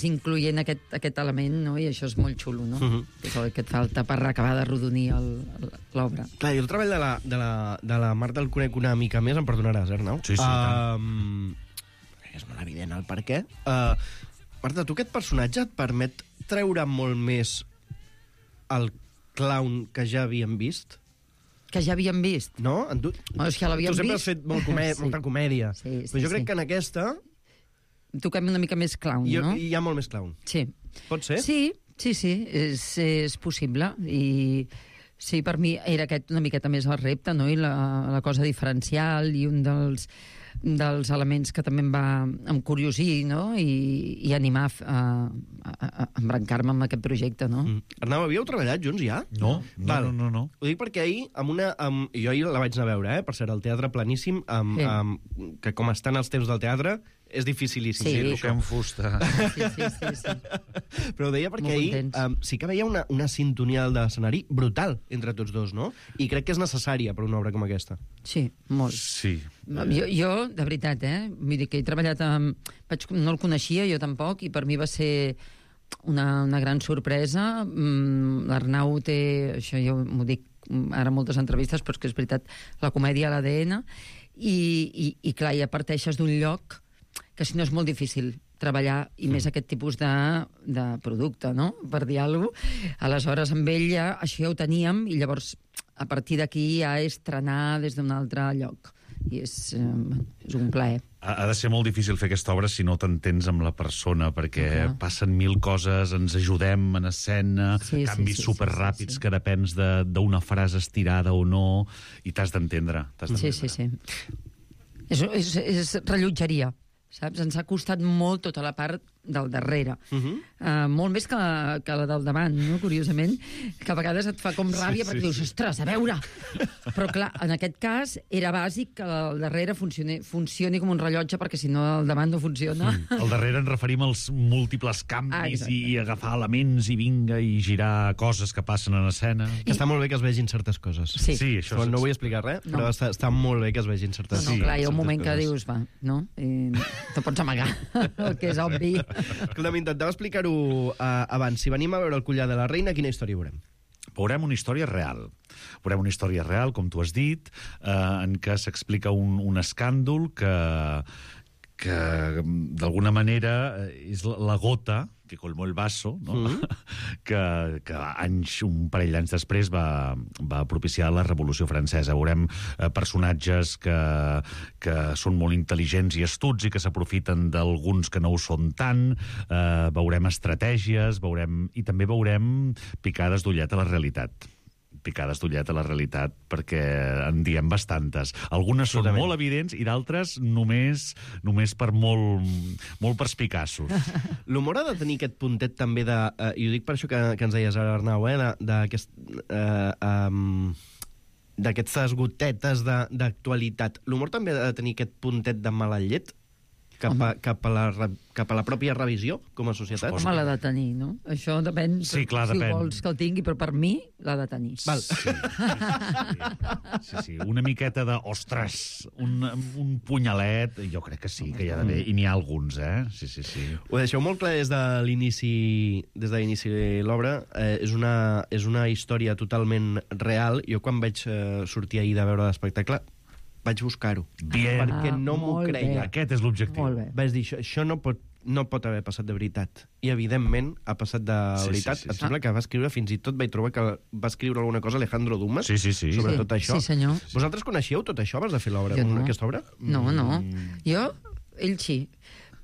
incloent aquest element, no? I això és molt xulo, no? És el que et falta per acabar de rodonir l'obra. Clar, i el treball de la Marta el conec una mica més, em perdonaràs, Arnau? Sí, tant. és molt evident el per què. Marta, tu aquest personatge et permet treure molt més el clown que ja havíem vist? Que ja havíem vist? No? És que l'havíem tu sempre vist. has fet molta comèdia. Sí, però jo crec que en aquesta... Toquem una mica més clown, no? Hi ha molt més clown. Sí. Pot ser? Sí, és possible. I sí, per mi era aquest una miqueta més el repte, no? I la cosa diferencial i un dels elements que també em va encuriosir, no? I animar a embrancar-me amb aquest projecte, no? Arnau, havíeu treballat junts ja? No. Ho dic perquè ahir, jo ahir la vaig anar a veure, per cert, al Teatre Planíssim, que com estan els temps del teatre, és dificilíssim. Sí, toquem fusta. Sí. Però ho deia perquè ahir sí que veia una sintonia de l'escenari brutal entre tots dos, no? I crec que és necessària per una obra com aquesta. Sí, molt. Sí. Jo de veritat, vull dir que he treballat amb... No el coneixia, jo tampoc, i per mi va ser una gran sorpresa. L'Arnau té... Això jo m'ho dic ara moltes entrevistes, però és que és veritat, la comèdia a l'ADN, i clar, ja parteixes d'un lloc que si no és molt difícil treballar, i més aquest tipus de producte, no?, per dir alguna cosa. Aleshores, amb ell ja, això ja ho teníem, i llavors, a partir d'aquí, ja és trenar des d'un altre lloc. I és un plaer. Ha de ser molt difícil fer aquesta obra si no t'entens amb la persona, perquè passen 1000 coses, ens ajudem en escena, canvis superràpids que depens d'una frase estirada o no, i t'has d'entendre. Sí. És rellotgeria, saps? Ens ha costat molt tota la part del darrere. Molt més que la del davant, no? Curiosament, que a vegades et fa com ràbia perquè dius, ostres, a veure! Però clar, en aquest cas era bàsic que el darrere funcioni com un rellotge, perquè si no el davant no funciona. Al darrere ens referim als múltiples canvis i agafar elements i vinga i girar coses que passen en escena. Que està molt bé que es vegin certes coses. Sí, això no vull explicar res, però està molt bé que es vegin certes coses. No, clar, hi ha un moment que dius, va, no? Te pots amagar, el que és obvi. Escolta, m'intentava explicar-ho abans. Si venim a veure el Collar de la Reina, quina història veurem? Veurem una història real. Veurem una història real, com tu has dit, en què s'explica un escàndol que d'alguna manera és la gota que colmó el vaso, no? que un parell d'anys després va propiciar la Revolució Francesa. Veurem personatges que són molt intel·ligents i astuts i que s'aprofiten d'alguns que no ho són tant, veurem estratègies, i també veurem picades d'ullet a la realitat. Perquè en diem bastantes. Algunes són molt evidents i d'altres només per molt perspicaços. L'humor ha de tenir aquest puntet també de... I ho dic per això que ens deies ara, Arnau, d'aquestes gotetes d'actualitat. L'humor també ha de tenir aquest puntet de mala llet cap a la pròpia revisió com a societat? Home, l'ha de tenir, no? Això depèn, sí, clar, si vols que el tingui, però per mi l'ha de tenir. Val. Sí. Una miqueta de, ostres, un punyalet, jo crec que sí, que hi ha d'haver, i n'hi ha alguns, Sí. Ho deixeu molt clar des de l'inici de l'obra. És una història totalment real. Jo quan vaig sortir ahir de veure l'espectacle vaig buscar-ho, perquè no m'ho creia. Aquest és l'objectiu. Vaig dir, això no pot haver passat de veritat. I, evidentment, ha passat de veritat. Em sembla que va escriure, fins i tot vaig trobar que va escriure alguna cosa Alejandro Dumas sobre tot això. Sí, senyor. Vosaltres coneixíeu tot això abans de fer l'obra, aquesta obra? No. Ell sí.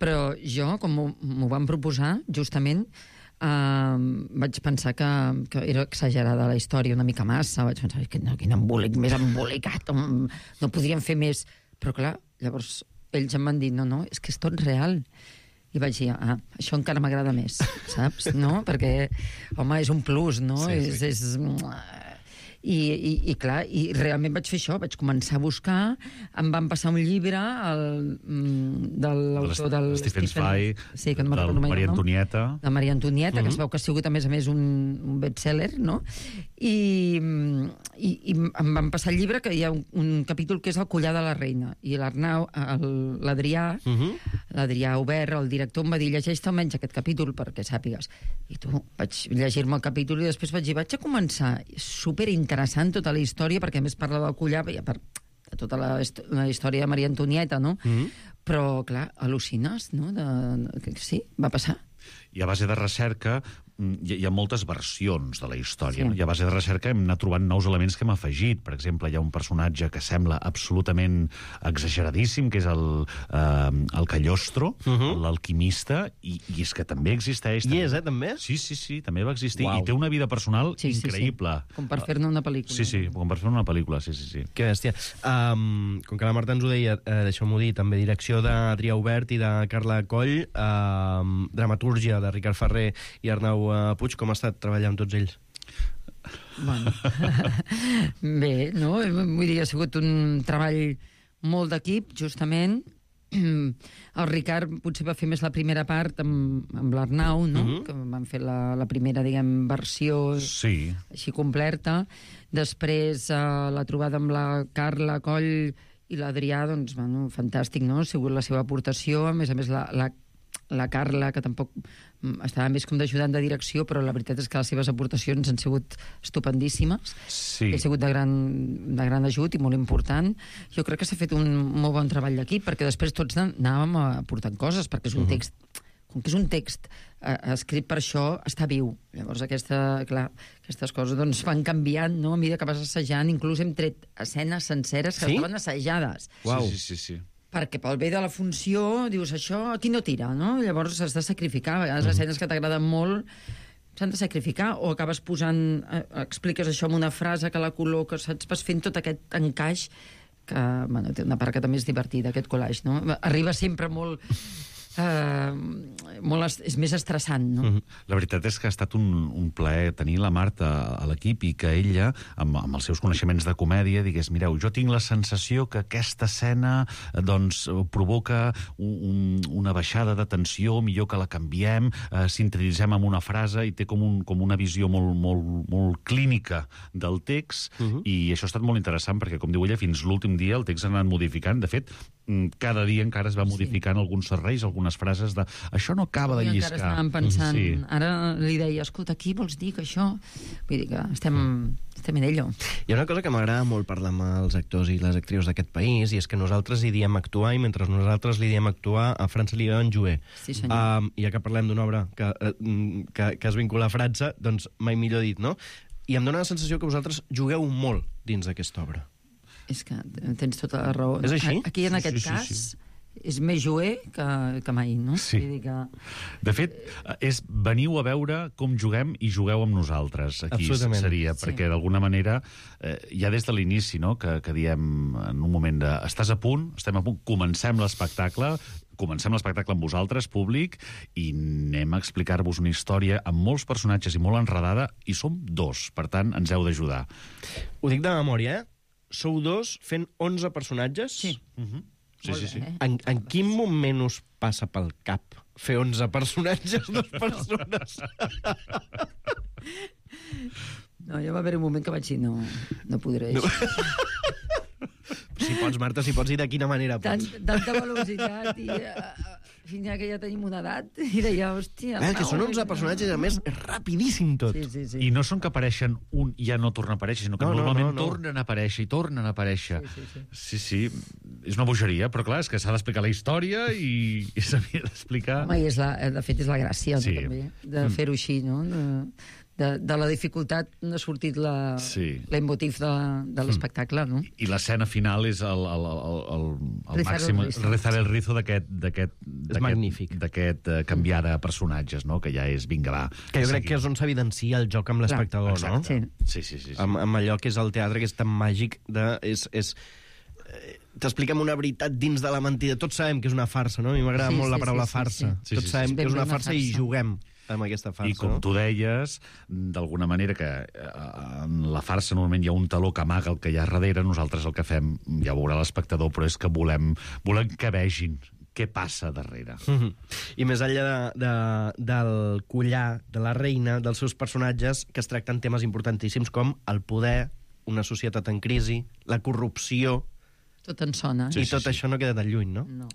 Però jo, com m'ho van proposar, justament, vaig pensar que era exagerada la història, una mica massa. Vaig pensar, quin embolic, més embolicat, no podríem fer més. Però clar, llavors ells em van dir, no, és que és tot real. I vaig dir, això encara m'agrada més, saps? No? Perquè, home, és un plus, no? I clar, i realment vaig fer això, vaig començar a buscar, em van passar un llibre de l'autor del Stephen Zweig, sí, que no me'n recordo mai, Maria Antonieta. De Maria Antonieta, que es veu que ha sigut a més un best-seller, no? I em van passar el llibre, que hi ha un capítol que és el Collar de la Reina, i l'Arnau, l'Adrià Obert, el director, em va dir, llegeix-te almenys aquest capítol perquè sàpigues. I tu, vaig llegir-me el capítol i després vaig dir, vaig a començar, superinteressant tota la història, perquè a més parla del collar, de tota la història de Maria Antonieta, no? Però, clar, al·lucines, no? Sí, va passar. I a base de recerca hi ha moltes versions de la història. Sí. No? I a base de recerca hem anat trobant nous elements que hem afegit. Per exemple, hi ha un personatge que sembla absolutament exageradíssim, que és el Cagliostro, l'alquimista, i és que també existeix. I és, també? Sí, també va existir. Uau. I té una vida personal increïble. Sí. Com per fer-ne una pel·lícula. Sí, com per fer una pel·lícula, sí. Que bèstia. Com que la Marta ens ho deia, deixeu-m'ho dir, també direcció d'Adrià Obert i de Carla Coll, dramatúrgia de Ricard Ferrer i Arnau Puig. Com ha estat treballar amb tots ells? Bueno. Bé, no? Vull dir, ha sigut un treball molt d'equip, justament. El Ricard potser va fer més la primera part amb l'Arnau, no? Que van fer la primera, diguem, versió així completa. Després la trobada amb la Carla Coll i l'Adrià, doncs, bueno, fantàstic, no? Ha sigut la seva aportació. A més, la Carla, que tampoc estava més com d'ajudant de direcció, però la veritat és que les seves aportacions han sigut estupendíssimes. Sí. Ha sigut de gran ajut i molt important. Jo crec que s'ha fet un molt bon treball d'equip, perquè després tots anàvem aportant coses, perquè és un text, com que és un text escrit per això, està viu. Llavors aquestes coses doncs, van canviant, no? A mesura que vas assajant. Inclús hem tret escenes senceres que estaven assajades. Uau. Sí. Perquè pel bé de la funció dius, això aquí no tira, no? Llavors has de sacrificar. A vegades escenes que t'agraden molt s'han de sacrificar, o acabes posant, expliques això amb una frase que la col·loques, saps? Vas fent tot aquest encaix que, bueno, té una part que també és divertida, aquest collage, no? Arriba sempre molt... és més estressant, no? La veritat és que ha estat un plaer tenir la Marta a l'equip i que ella, amb els seus coneixements de comèdia, digués, mireu, jo tinc la sensació que aquesta escena doncs, provoca una baixada de tensió, millor que la canviem, sintetitzem amb una frase i té com una visió molt clínica del text, i això ha estat molt interessant perquè, com diu ella, fins l'últim dia el text s'ha anat modificant. De fet, cada dia encara es va modificant alguns serveis, algunes frases de això no acaba de lliscar. Encara estàvem pensant, ara li deia, escolta, aquí vols dir que això... Vull dir que estem en ello. Hi ha una cosa que m'agrada molt parlar amb els actors i les actrius d'aquest país, i és que nosaltres hi diem actuar, i mentre nosaltres li diem actuar, a França li diuen jouer. Sí, senyor. I ja que parlem d'una obra que es vincula a França, doncs mai millor dit, no? I em dóna la sensació que vosaltres jugueu molt dins d'aquesta obra. És que tens tota la raó. És així? Aquí, en aquest cas, és més jouer que mai, no? Sí. Vull dir que... De fet, veniu a veure com juguem i jugueu amb nosaltres. Aquí seria, perquè d'alguna manera, ja des de l'inici, no?, que diem en un moment de estàs a punt, estem a punt, comencem l'espectacle amb vosaltres, públic, i anem a explicar-vos una història amb molts personatges i molt enredada, i som 2, per tant, ens heu d'ajudar. Ho dic de memòria, Sou 2 fent 11 personatges? Sí. Sí. En quin moment us passa pel cap fer 11 personatges, 2 persones? No, ja va haver un moment que vaig dir, no podré. No. Si pots, Marta, si pots, i de quina manera pots. Tanta velocitat i... fins que ja tenim una edat, i deia, hòstia... Que són 11 personatges, a més, és rapidíssim tot. Sí. I no són que apareixen un i ja no torna a aparèixer, sinó que normalment tornen a aparèixer i tornen a aparèixer. Sí. És una bogeria, però clar, és que s'ha d'explicar la història i s'havia d'explicar... Home, i de fet és la gràcia, no, també, de fer-ho així, no? De la dificultat n'ha sortit l'emotiv de l'espectacle, no? I l'escena final és el màxim rezar el rizo d'aquest canviar de personatges, no?, que ja és vinga, va. Que jo crec que és on s'evidencia el joc amb l'espectador, no? Sí. Amb allò que és el teatre, que és tan màgic, t'expliquem una veritat dins de la mentida. Tots sabem que és una farsa, no? A mi m'agrada molt la paraula farsa. Tots sabem que és una farsa i juguem amb aquesta farsa. I com tu deies, d'alguna manera que en la farsa normalment hi ha un taló que amaga el que hi ha darrere, nosaltres el que fem, ja ho veurà l'espectador, però és que volem que vegin què passa darrere. I més enllà del collar, de la reina, dels seus personatges, que es tracten temes importantíssims com el poder, una societat en crisi, la corrupció... Tot en sona. I tot això no queda tan lluny, no? No.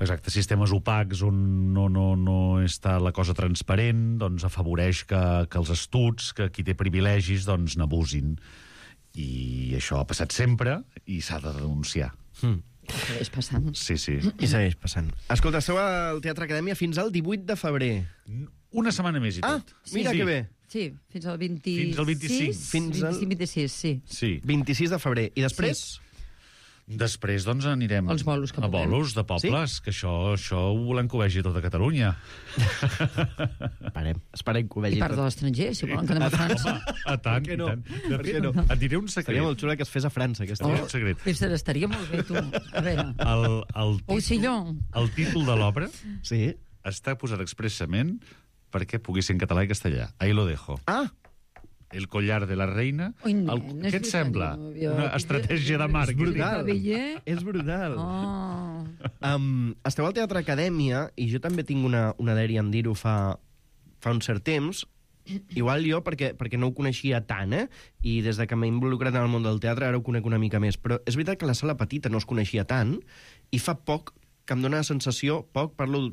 Exacte, sistemes opacs on no està la cosa transparent, doncs afavoreix que els astuts, que qui té privilegis, doncs n'abusin. I això ha passat sempre i s'ha de denunciar. Segueix passant. Sí, sí. I segueix passant. Escolta, esteu al Teatre Acadèmia fins al 18 de febrer. Una setmana més i tot. Mira que bé. Sí, fins al 26. Fins al 25. Fins al 25-26, sí. Sí. 26 de febrer. I després? Després, doncs, anirem Els bolos que a puguem. bolos de pobles, que això ho volem que ho vegi tota Catalunya. Esperem que ho vegi I part de l'estranger, si volen que anem a França. Home, a tant, Per què no? i tant. De Per què fet, no? et diré un secret. Seria molt xula que es fes a França, aquesta. Un secret. Estaria molt bé, tu. A veure. El títol de l'obra està posat expressament perquè pugui ser en català i castellà. Ahí lo dejo. El collar de la reina. Què et sembla? Una estratègia de màrqueting. És brutal. Esteu al Teatre Acadèmia, i jo també tinc una dèria en dir-ho fa un cert temps. Igual jo, perquè no ho coneixia tant, i des de que m'he involucrat en el món del teatre ara ho conec una mica més. Però és veritat que la sala petita no es coneixia tant, i fa poc que em dóna la sensació, parlo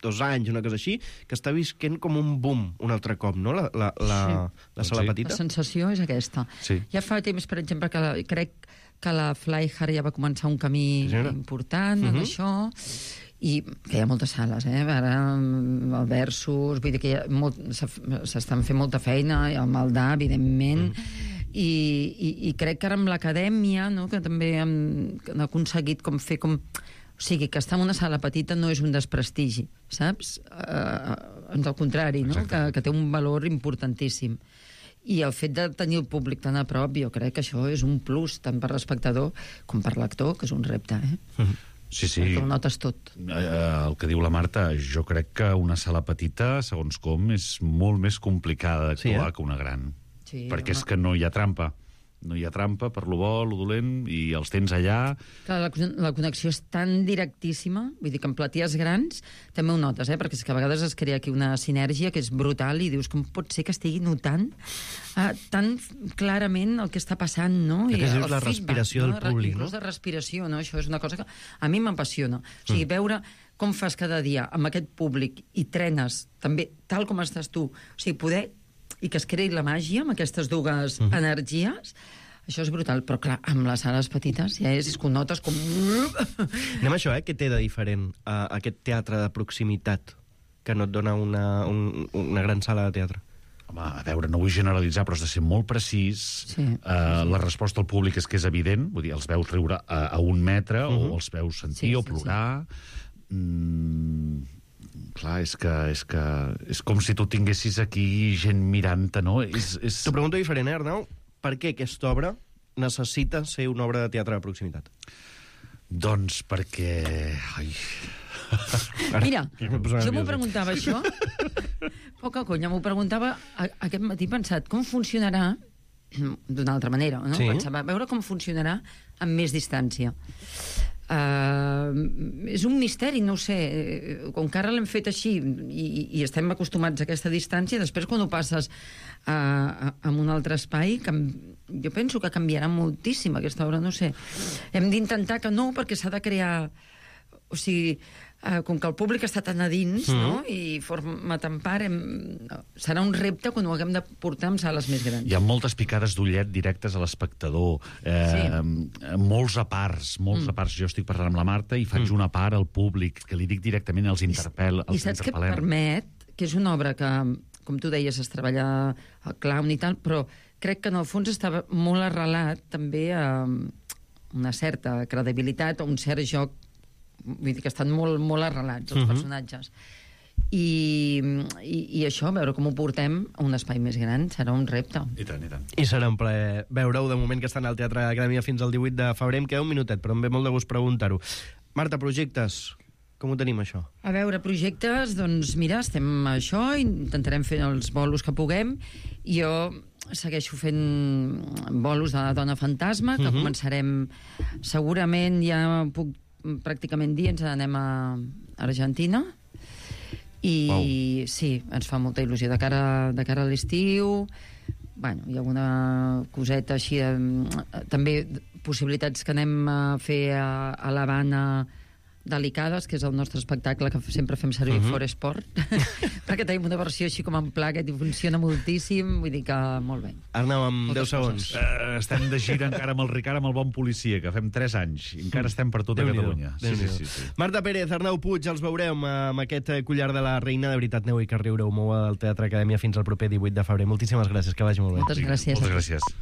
2 anys, una cosa així, que està visquent com un boom un altre cop, no?, la sala petita. La sensació és aquesta. Sí. Ja fa temps, per exemple, que crec que la Flyhard ja va començar un camí important en això, i que hi ha moltes sales, ara el Versus, vull dir que s'estan fent molta feina, el Maldà, evidentment, i crec que ara amb l'acadèmia, no?, que també han aconseguit com fer com... O sigui, que estar en una sala petita no és un desprestigi, saps? Al contrari, no? Que té un valor importantíssim. I el fet de tenir el públic tan a prop, jo crec que això és un plus, tant per l'espectador com per l'actor, que és un repte, Sí, sí. Perquè ho notes tot. El que diu la Marta, jo crec que una sala petita, segons com, és molt més complicada d'actuar que una gran. Sí, perquè és que no hi ha trampa. No hi ha trampa per lo bo, lo dolent, i els tens allà. Clar, la connexió és tan directíssima, vull dir que en platies grans també ho notes, perquè és que a vegades es crea aquí una sinergia que és brutal i dius com pot ser que estigui notant tan clarament el que està passant, no? Que és la feedback, respiració del públic, no? Inclús de respiració, no? Això és una cosa que a mi m'apassiona. O sigui, veure com fas cada dia amb aquest públic i trenes també tal com estàs tu, o sigui, poder i que es creï la màgia amb aquestes dues energies, això és brutal. Però, clar, amb les sales petites ja és que ho notes com... Anem a això, què té de diferent aquest teatre de proximitat que no et dona una gran sala de teatre? Home, a veure, no vull generalitzar, però has de ser molt precís. Sí. La resposta al públic és que és evident, vull dir, els veus riure a 1 metre, o els veus sentir o plorar... Clar, és com si tu tinguessis aquí gent mirant-te, no? T'ho pregunto diferent, Arnau. Per què aquesta obra necessita ser una obra de teatre de proximitat? Doncs perquè... Mira, jo m'ho preguntava això. Poca conya, m'ho preguntava aquest matí pensat, com funcionarà d'una altra manera, no? Pensava, a veure com funcionarà amb més distància. És un misteri, no ho sé, com que ara l'hem fet així i estem acostumats a aquesta distància, després quan ho passes a un altre espai, jo penso que canviarà moltíssim aquesta obra, no sé. Hem d'intentar que no, perquè s'ha de crear... O sigui, com que el públic està tan a dins, no?, i forma tan part, serà un repte quan ho haguem de portar amb sales més grans. Hi ha moltes picades d'ullet directes a l'espectador, molts aparts. Jo estic parlant amb la Marta i faig una part al públic, que li dic directament, els interpel·lem. I saps què permet? Que és una obra que, com tu deies, es treballa al clown i tal, però crec que en el fons estava molt arrelat també a una certa credibilitat o un cert joc. Vull dir que estan molt arrelats, els personatges. I això, veure com ho portem a un espai més gran, serà un repte. I tant, i tant. I serà un plaer veure-ho, de moment que estan al Teatre Acadèmia fins al 18 de febrer. Em queda un minutet, però em ve molt de gust preguntar-ho. Marta, projectes, com ho tenim, això? A veure, projectes, doncs mira, estem a això, intentarem fer els bolos que puguem. Jo segueixo fent bolos de la Dona Fantasma, que començarem segurament, ja puc pràcticament dir, ens anem a Argentina i sí, ens fa molta il·lusió de cara a l'estiu. Bueno, hi ha alguna coseta així també possibilitats que anem a fer a l'Havana Delicades, que és el nostre espectacle que sempre fem servir for esport, perquè tenim una versió així com en pla que funciona moltíssim, vull dir que molt bé. Arnau, amb 10 segons. Estem de gira encara amb el Ricard, amb el Bon Policia, que fem 3 anys. I encara estem per tota Catalunya. Sí. Marta Pérez, Arnau Puig, els veurem amb aquest collar de la reina. De veritat, aneu i que riure-ho molt al Teatre Acadèmia fins al proper 18 de febrer. Moltíssimes gràcies, que vagi molt bé. Moltes gràcies. Moltes gràcies.